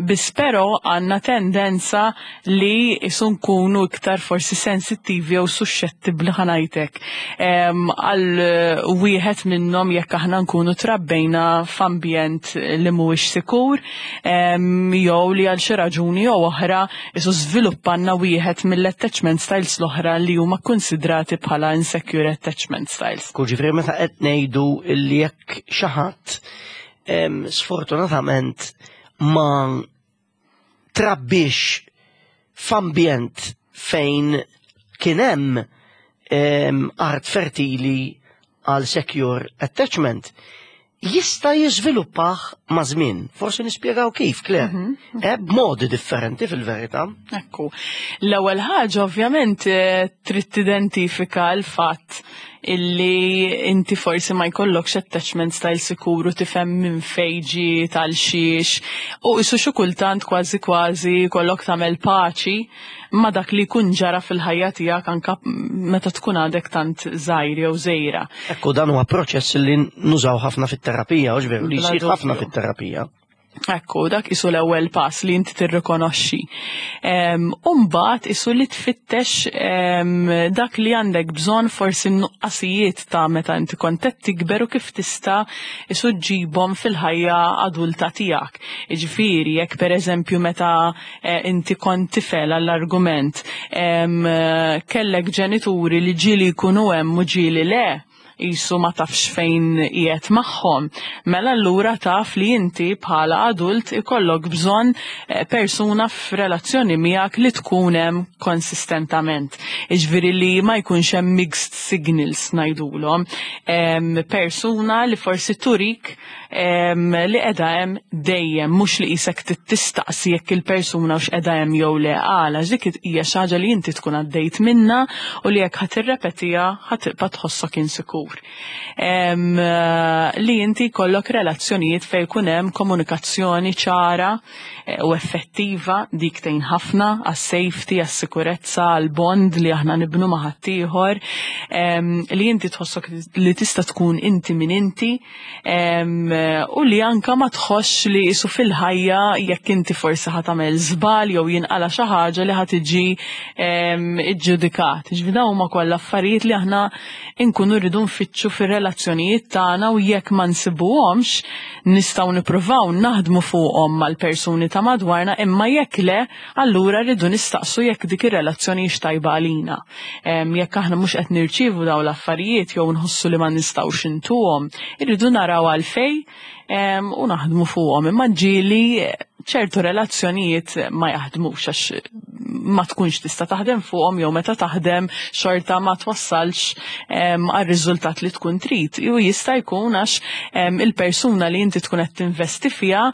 Biss però għandna tendenza li isu nkunu iktar forsi sensittivi jew suscettibbli, ħa ngħidlek, għal wieħed minnhom jekk aħna nkunu trabbejna f'ambjent li mhuwiex sikur jew li għal xi raġuni jew oħra isu żviluppanna wieħed mill-attachment styles l-oħra li huma konsidrati bħala insecure attachment styles. Ġifieri meta qed ngħidu li jekk xi ħadd sfortunatament ma trabbix f'ambjent fejn kien hemm art fertili għal secure attachment, jista' jiżviluppah ma' żmien. Forsi nispjegaw kif, Claire. Mm -hmm. E, b'modi differenti fil-verità. Ekku. L-ewwel ħaġa, ovvjament, eh, trid tidentifika l-fatt illi inti forsi ma jkollokx attachment style sikuru, tifhem minn fejn ġie tal-xiex u isu xi kultant kważi kważi kollok tagħmel paċi ma dak li jkun ġara fil-ħajja tiegħek anka meta tkun għadek tant żgħir jew żgħira. Ekku, dan huwa proċess li nużaw ħafna fit-terapija, u veru li jsir ħafna fit-terapija. Ekku, dak isu l-ewwel pass li inti tirrikonoxxi. Umbagħad isu li tfittex dak li għandek bżonn, forsi n-nuqqasijiet ta' meta inti kont qed tikber, u kif tista' isu ġibhom fil-ħajja adulta tiegħek. Jiġifieri jekk, pereżempju, meta eh, inti kont tifel, għall-argument, kellek ġenituri li ġieli jkunu hemm u ġieli le, jisu ma tafx fejn qiegħed magħhom. Mela allura taf li inti bħala adult ikollok bżonn eh, persuna f'relazzjoni miegħek li tkun hemm konsistentament. Iġifieri li ma jkunx hemm mixed signals ngħidulhom. Persuna li forsi turik li qiegħda hemm dejjem, mhux li qisek tistaqsi jekk il-persuna hux qiegħda hemm jew le, għala dik hija xi ħaġa li inti tkun għaddejt minna u li jekk ħa tirrepetiha ħa tibqa' tħossok insikur. Li inti jkollok relazzjonijiet fejn jkun hemm komunikazzjoni ċara eh, u effettiva, dik tgħin ħafna għas-safety, għas-sikurezza, għall-bond li aħna nibnu ma' ħaddieħor, li inti tħossok li tista' tkun inti min inti u li anka ma tħossx li isu fil-ħajja jekk inti forsi ħa tagħmel żball jew jinqala xi ħaġa li ħa tiġi iġġudikat. Ġifieri dawn huma kollha affarijiet li aħna nkunu rridu nfittxu fir-relazzjonijiet tagħna u jekk ma nsibuhomx nistgħu nippruvaw naħdmu fuqhom mal-persuni ta' madwarna, imma jekk le, allura rridu nistaqsu jekk dik ir-relazzjoni tajba għalina. Jekk aħna mhux qed nirċievu dawn l-affarijiet jew nħossu li ma nistgħux intuhom, irridu naraw għalfej u naħdmu fuqhom. Imma ġieli ċertu relazzjonijiet ma jaħdmux għax ma tkunx tista' taħdem fuqhom jew meta taħdem xorta ma twassalx għar-riżultat li tkun trid. Ju jista' jkun għax il-persuna li inti tkun qed tinvesti fiha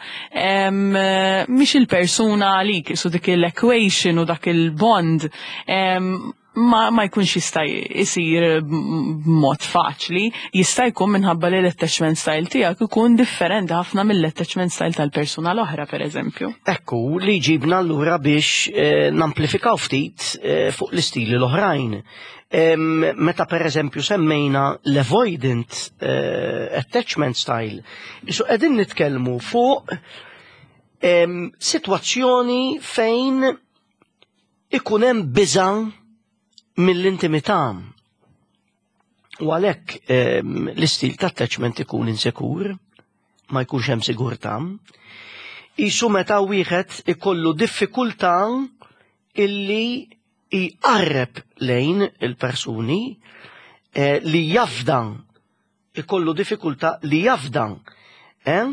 mhix il-persuna għalik, isu dik il-equation u dak il-bond ma, ma jkunx jista' jsir b'mod faċli, jista' jkun minħabba li l-attachment style tiegħek ikun differenti ħafna mill-attachment style tal-persuna l-oħra, pereżempju. Ekku, li ġibna allura biex eh, namplifikaw ftit eh, fuq l-istili l-oħrajn. Meta per eżempju semmejna l-avoidant eh, attachment style, isu qegħdin nitkellmu fuq situazzjoni fejn ikun hemm biża' mill-intimità. U għalhekk l-istil ta' attachment ikun insekur, ma jkunx hemm sigurtà. Isu meta wieħed ikollu diffikultà illi jqarreb lejn il-persuni, eh, li jafda, ikollu diffikultà li jafda, eh,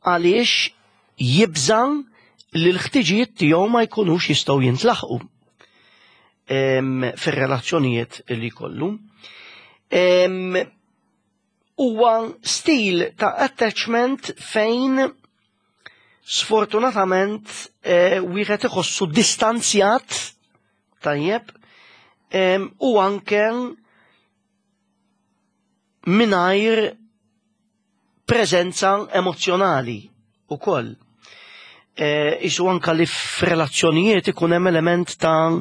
għaliex jibża li l-ħtiġijiet tiegħu ma jkunux jistgħu jintlaħqu fir-relazzjonijiet li kollu. Huwa stil ta' attachment fejn sfortunatament eh, wieħed iħossu distanzjat, tajjeb, Em, u anke mingħajr preżenza emozjonali ukoll. E, Isu anka li f'relazzjonijiet ikun hemm element ta'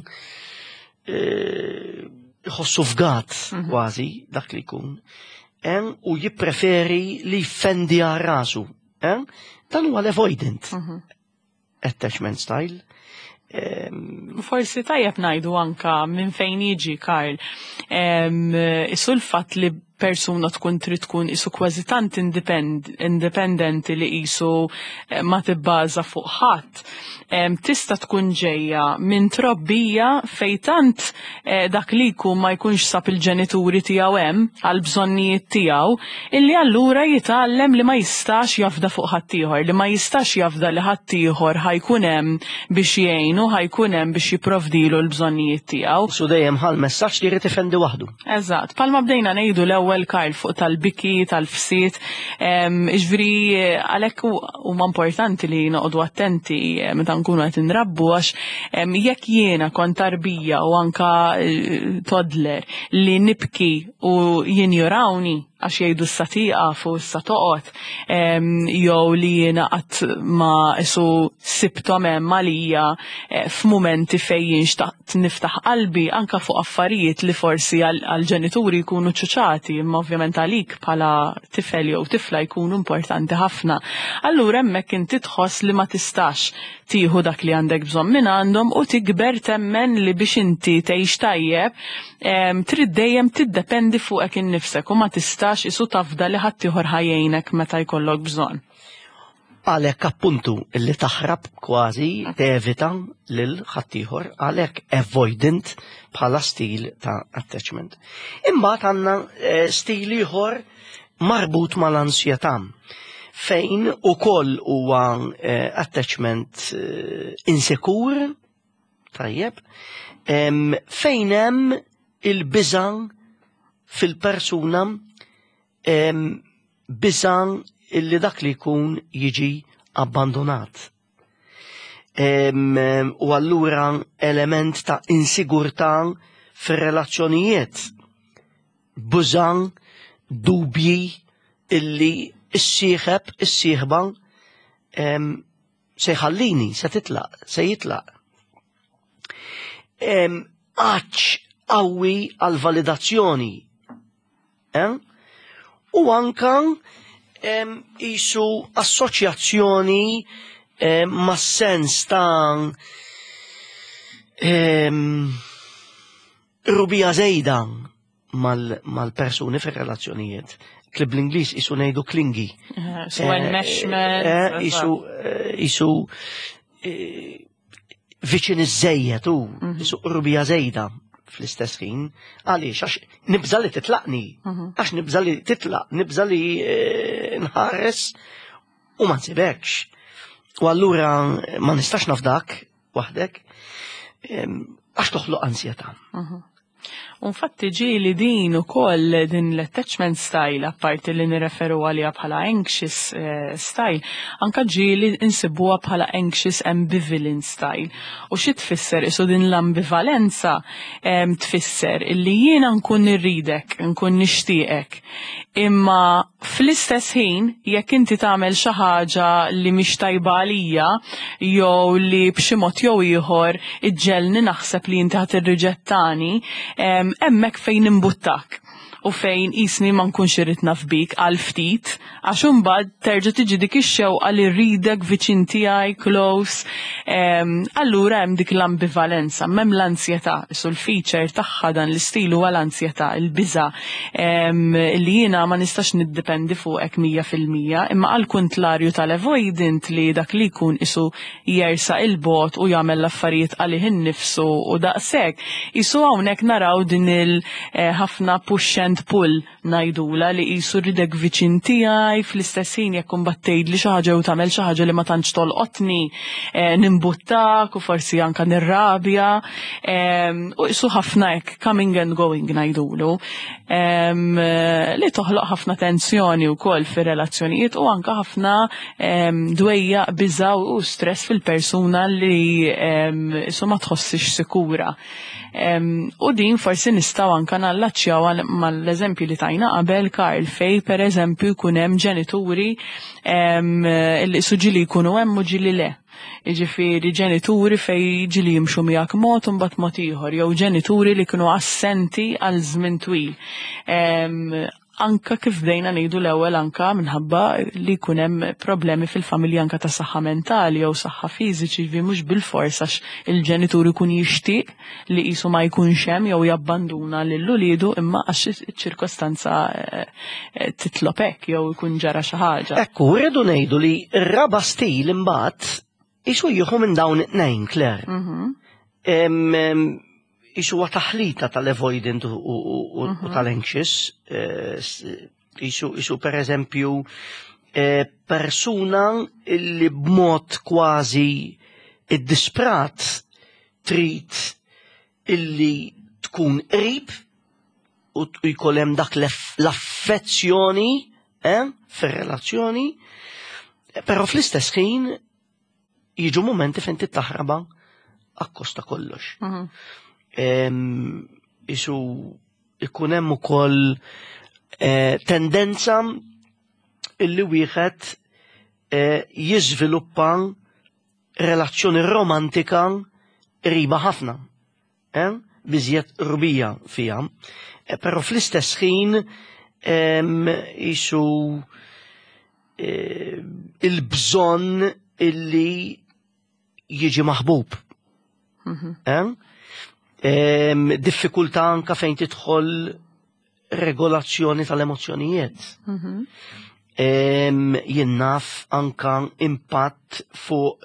e, jħossu fgat kważi dak li jkun. Em, u jippreferi li jfendi għal rasu. Em? Dan huwa l-avoidant attachment style. Em, Forsi tajjeb ngħidu anka minn fejn jiġi, Karl. Em, Isu l-fatt li persuna tkun trid tkun isu kważi tant independ, independenti li isu eh, ma tibbaża fuq ħadd. Em, Tista' tkun ġejja minn trobbija fej tant eh, dak li jkun ma jkunx sab il-ġenituri tiegħu hemm għal bżonnijiet tiegħu, illi allura jitgħallem li ma jistax jafda fuq ħaddieħor, li ma jistax jafda li ħaddieħor ħa jkun hemm biex jgħinu, ħa jkun hemm biex jipprovdilu l-bżonnijiet tiegħu. Su dejjem ħa l-messaġġ li jrid ifendi waħdu. Eżatt, bħalma bdejna ngħidu l-ewwel, Karl, fuq tal-biki, tal-fsiet, ġifieri għalhekk huma importanti li noqogħdu attenti eh, meta nkunu qed inrabbu, għax em, jekk jiena kont tarbija u anka eh, toddler li nibki u jinjorawni għax jgħidu issa tieqaf u issa toqgħod, em, jew li jiena qatt ma isu sibthom hemm għalija eh, f'mumenti fejn jien xtaqt niftaħ qalbi anka fuq affarijiet li forsi għal-ġenituri jkunu ċuċati, imma ovvjament għalik bħala tifel jew tifla jkunu importanti ħafna. Allura hemmhekk inti tħoss li ma tistax tieħu dak li għandek bżonn minn għandhom u tikber temmen li biex inti tgħix tajjeb em, trid dejjem tiddependi fuqek innifsek u ma tistax isu tafda li ħaddieħor ħa jgħinek meta jkollok bżonn. Għalhekk appuntu illi taħrab kważi, tevita lil ħaddieħor, għalhekk avoidant bħala stil ta' attachment. Imbagħad għandna eh, stil ieħor marbut mal-ansjetà, fejn ukoll huwa eh, attachment eh, insekur, tajjeb, em, fejn hemm il-biża fil-persuna, em, biża illi dak li jkun jiġi abbandonat. Em, em, u allura element ta' insigurtà fir-relazzjonijiet, biża', dubji illi s-sieħeb, is-sieħba em, se jħallini, se titlaq, se jitlaq. Em, Għatx qawwi għal validazzjoni. Eh? U anka em, isu assoċjazzjoni em, ma' sens ta' em, qrubija żejda mal- mal-persuni fir-relazzjonijiet. Li bl-Ingliż isu ngħidu clingy. So enmeshment. Eh, Isu eh, isu eh, viċin iż-żejjed u isu qrubija żejda fl-istess ħin. Għaliex? Għax nibża li titlaqni. Għax nibża li titlaq, nibża li eh, nħares u ma nsibekx. U allura ma nistax nafdak waħdek em, għax toħloq ansjetà. Infatti ġieli din ukoll din l-attachment style, apparti li nirreferu għalija bħala anxious eh, style, anka ġieli insibuha bħala anxious ambivalent style. U xi tfisser isu din l-ambivalenza? em, Tfisser illi jiena nkun irridek, nkun nixtieqek. Imma fl-istess ħin, jekk inti tagħmel xi ħaġa li mhix tajba għalija, jew li b'xi mod jew ieħor iġġelni naħseb li inti ħa tirriġettani, em, hemmhekk fejn imbuttak u fejn jisni ma nkunx irrid naf bik għal ftit, għax imbagħad terġa' tiġi dik ix-xewqa li rridek viċin tiegħi close. Em, allura hemm dik l-ambivalenza, m'hemm l-ansjetà, su l-feature tagħha dan l-istil huwa l-ansjetà, il-biża' em, li jiena ma nistax niddependi fuqek mija fil-mija, imma għal kuntrarju tal-avoidant li dak li jkun isu jersa il-bogħod u jagħmel l-affarijiet għalih innifsu u daqshekk. Isu hawnhekk naraw din il-ħafna push and pull Ngħidula li qisu rridek viċin tiegħi, fl-istess ħin jekk imbagħad tgħidli xi ħaġa u tagħmel xi ħaġa li ma tantx tolqotni, eh, nimbuttak u forsi anka nirrabja. Em, U qisu ħafna hekk coming and going ngħidulu. Em, Li toħloq ħafna tensjoni wkoll fir-relazzjonijiet u anka ħafna em, dwejja, biża' u stress fil-persuna li em, qisu ma tħossix sikura. Em, U din forsi nistgħu anka nallaċċjaw għal- mal-eżempju li tajna qabel, Karl, fej per eżempju jkun hemm ġenituri em, li qisu ġieli jkunu hemm u ġieli le. Jiġifieri ġenituri fej ġieli jimxu miegħek mod u mbagħad mod ieħor, jew ġenituri li kienu assenti għal żmien twil. Em, Anka kif bdejna ngħidu l-ewwel, anka minħabba li jkun hemm problemi fil-familja anka ta' saħħa mentali jew saħħa fiżiċi, vi mhux bil-fors għax il-ġenitur ikun jixtieq li qisu ma jkunx hemm jew jabbanduna lil uliedu, imma għax iċ-ċirkostanza eh, eh, titlob hekk jew ikun ġara xi ħaġa. Ekku, rridu ngħidu li r-raba stil imbagħad qisu jieħu minn dawn it-tnejn, Claire. Mhm. Em, em, Qisu huwa taħlita tal-avoidant u, u, u, u tal-anxious. eh, s- Qisu, qisu per eżempju, eh, persuna illi b'mod kważi iddisprat trid illi tkun qrib u t- u jkollem hemm dak l-aff- l-affezzjoni eh, fir-relazzjoni, però fl-istess ħin jiġu momenti fejn tittaħraba akkosta kollox. Mhm. Em, Qisu ikun hemm ukoll eh, tendenza illi wieħed eh, jiżviluppa relazzjoni romantika qriba ħafna. Eh? Biżjed qrubija fija. Eh, Però fl-istess ħin em, qisu eh, il-bżonn illi jiġi maħbub. Mhm. Eh? Em, Diffikultà anka fejn tidħol regolazzjoni tal-emozzjonijiet. Mhm. Em, Jien naf anka impatt fuq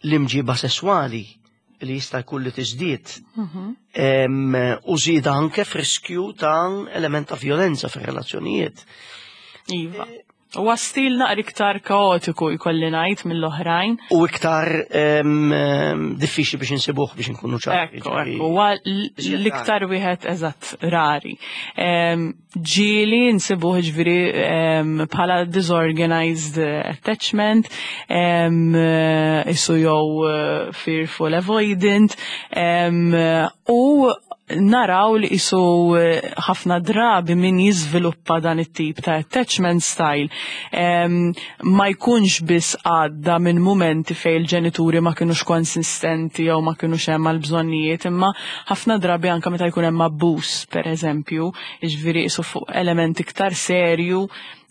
l-imġiba sessuali li jista' jkun li tiżdied. Mhm. Em, U żieda anke f'riskju ta' element ta' violenza fir-relazzjonijiet. Iva. Huwa stil naqra iktar kaotiku, jkolli ngħid, mill-oħrajn. U iktar em, em, diffiċli biex insibuh, biex nkunu ċari. Ekku, ekku, huwa l- l-iktar wieħed eżatt rari. Em, Ġieli nsibuh ġifieri em, bħala disorganized attachment, em, qisu jew eh, fearful avoidant, em, u naraw li qisu eh, ħafna drabi min jiżviluppa dan it-tip ta' attachment style em, ma jkunx biss għadda minn momenti fej il-ġenituri ma kienux konsistenti jew ma kienux hemm għal-bżonnijiet, imma ħafna drabi anka meta jkun hemm abbuż, per eżempju, jiġifieri qisu fuq element iktar serju,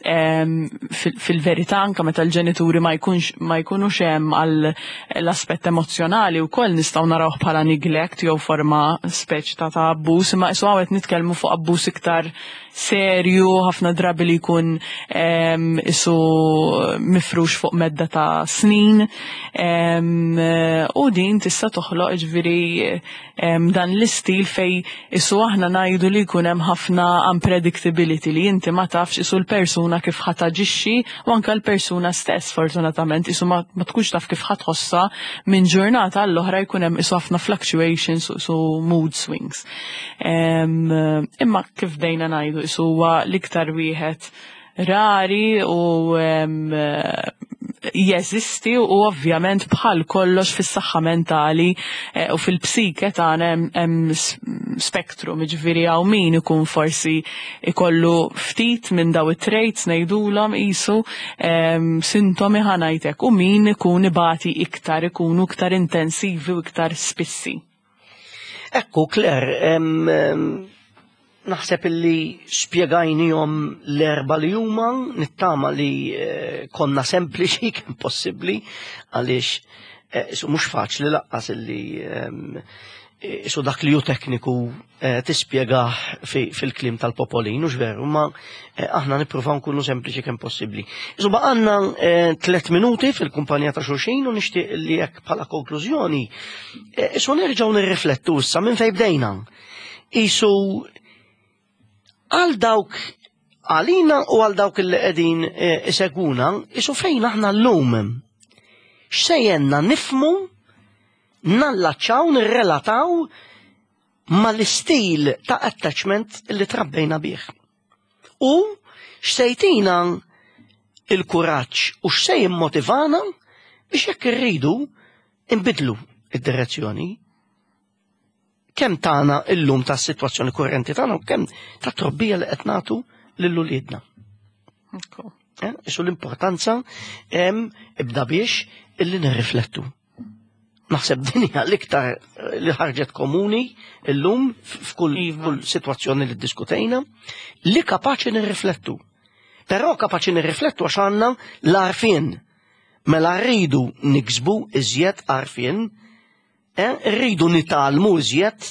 em, fil- fil-verità anka meta l-ġenituri ma jkunx ma jkunux hemm għal l-aspett emozjonali wkoll nistgħu narawh bħala neglect jew forma speċ ta' ta' abbuż, imma qisu hawn qed nitkellmu fuq abbuż iktar serju, ħafna drabi li jkun em, qisu mifrux fuq medda ta' snin, em, u din tista' toħloq ġifieri em, dan l-istil fej qisu aħna ngħidu li jkun hemm ħafna unpredictability, li inti ma tafx qisu l-persuna kif ħa taġixxi u anka l-persuna stess fortunatament qisu ma, ma tkunx taf kif ħa tħossha minn ġurnata għall-oħra, jkun hemm qisu ħafna fluctuations u su mood swings. Em, imma kif bdejna ngħidu, qisu huwa l-iktar wieħed rari u em, jeżisti, u ovvjament bħal kollox fis-saħħa mentali eh, u fil-psike tagħna hemm- hemm s- spektrum, jiġifieri hawn min ikun forsi ikollu ftit minn daw it-traits, ngħidulhom qisu em, sintomi, ħa ngħidlek, u min ikun ibati iktar, ikunu iktar intensivi u iktar spissi. Ekku, Claire, em, em, naħseb illi spjegajnihom l-erba li huma, nittama li eh, konna sempliċi kemm possibbli, għaliex eh, su mhux faċli lanqas illi em, eh, su dak li hu tekniku eh, tispjegah fi- fil-kliem tal-popolin, u veru, ma eh, aħna nippruvaw nkunu sempliċi kemm possibbli. Isu baqanna eh, tlet minuti fil-kumpanija ta' xulxin u nixtieq li jekk bħala konklużjoni, eh, isu nerġgħu nirriflettu issa minn fejn bdejna. Isu għal dawk Għalina u għal dawk li qegħdin eh, isegwuna, isu fejn aħna llum. X'se jgħinna nifhmu, nallaċċaw, nirrelataw mal-istil ta' attachment li trabbejna bih. U x'se jtina il-kuraġġ u x'se jimmotivana biex jekk irridu nbiddlu id-direzzjoni. Kemm tagħna illum ta' situazzjoni kurrenti tagħna u kemm ta' trobbija li qed nagħtu lil uliedna. Ekku. Eh, Isu l-importanza hemm ibda biex illi nirriflettu. Naħseb din hija l-iktar eh, li ħarġet komuni illum f'kull Iva. f'kull sitwazzjoni li ddiskutejna li kapaċi nirriflettu. Però kapaċi nirriflettu għax għandna l-għarfien. Mela rridu niksbu iżjed għarfien, eh, rridu nitgħallmu iżjed,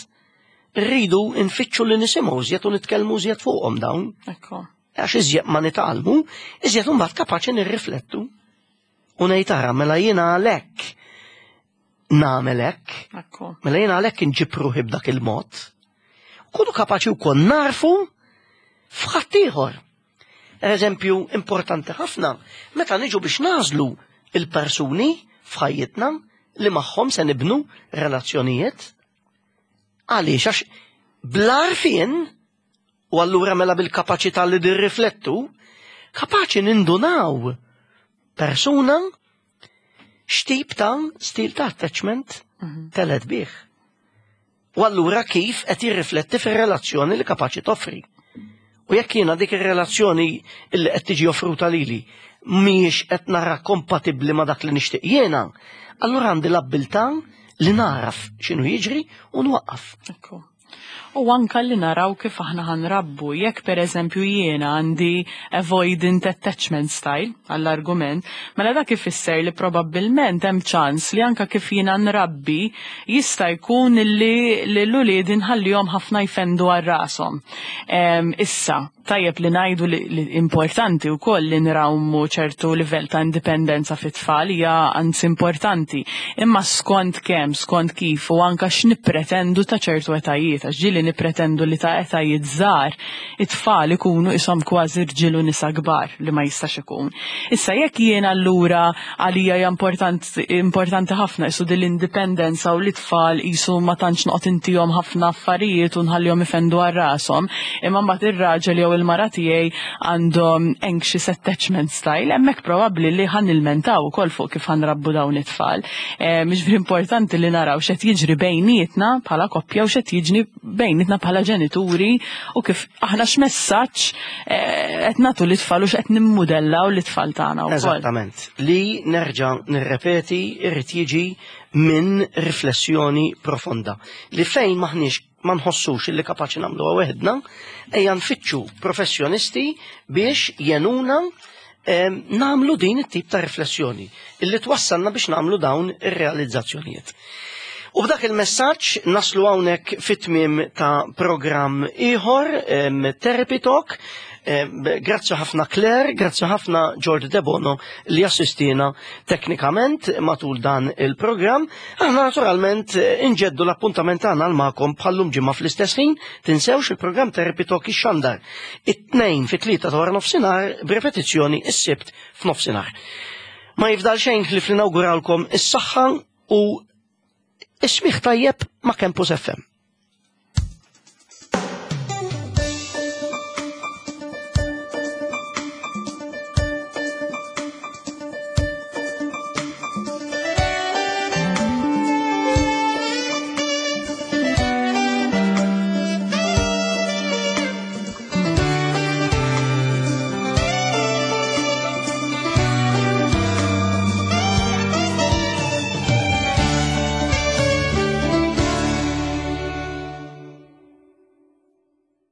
rridu nfittxu li nisimgħu iżjed u nitkellmu iżjed fuqhom dawn. Ekku. Għax iżjed ma nitgħallmu, iżjed imbagħad kapaċi nirriflettu. U ngħid ara mela jiena għalhekk nagħmel hekk, Ekku. mela jiena għalhekk inġib ruħi b'dak il-mod. Kunu kapaċi wkoll narfu f'ħaddieħor. Eżempju importanti ħafna, meta niġu biex nagħżlu il-persuni f'ħajjitna li magħhom se nibnu relazzjonijiet. Għaliex għax bl-għarfien u allura mela bil-kapaċità li nirriflettu, kapaċi nindunaw persuna x'tip ta' stil ta' attachment telgħet bih. U allura kif qed jirrifletti fir-relazzjoni li kapaċi toffri. U jekk jiena dik ir-relazzjoni li qed tiġi offruta lili mhijiex qed nara kompatibbli ma' dak li nixtieq jiena, allura għandi l-abbiltà li naraf x'inhu jiġri u nwaqqaf. Ekku. U anka li naraw kif aħna ħa nrabbu, jekk per eżempju jiena għandi avoidant attachment style għall-argument, mela dak ifisser li probabbilment hemm ċans li anka kif jiena nrabbi jista' jkun li l-ulied inħallihom ħafna jfendu għal rashom. Em, Issa, tajjeb li ngħidu li, li importanti wkoll li nrawmu ċertu livell ta' indipendenza fit-tfal hija anzi importanti. Imma skont kemm, skont kif u anka x'nippretendu ta' ċertu etajiet, għax ġieli nippretendu li ta' etajiet żgħar it-tfal ikunu ishom kważi rġiel u nisa kbar li ma jistax ikun. Issa jekk jien allura għalija hija importanti, importanti ħafna isu din l-indipendenza u li tfal isu ma tantx noqgħod intihom ħafna affarijiet u nħallihom ifendu għal rashom, imma mbagħad ir-raġel jew il-mara tiegħi għandhom anxious attachment style, hemmhekk probabbli li ħa nilmentaw ukoll fuq kif ħa nrabbu dawn it-tfal. Eh, Mhux importanti li naraw x'qed jiġri bejnietna bħala koppja u x'qed jiġri bejnietna bħala ġenituri u kif aħna x'messaġġ eh, qed nagħtu lit-tfal u x'qed nimmudellaw lit-tfal tagħna wkoll. Eżattament. Li nerġa' nirrepeti irrid jiġi minn riflessjoni profonda. Li fejn maħniex ma nħossux illi kapaċi nagħmluha weħedna, ejja nfittxu professjonisti biex jgħinuna em, nagħmlu din it-tip ta' riflessjoni illi twassalna biex nagħmlu dawn ir-realizzazzjonijiet. U b'dak il-messaġġ naslu hawnhekk fit-tmiem ta' programm ieħor, em, Therapy Talk. Em, Grazzi ħafna Claire, grazzi ħafna George Debono li assistina teknikament matul dan il-programm. Aħna naturalment eh, inġeddu l-appuntament tagħna magħkom bħal-lum ġimgħa fl-istess ħin, tinsewx il-programm Therapy Talk ixxandar it-tnejn fit-tlieta ta' wara nofsinhar b'repetizzjoni is-sibt f'nofsinhar. Ma jifdal xejn ħlief li nawguralkom is-saħħa u is-smigħ tajjeb ma' Campus F M.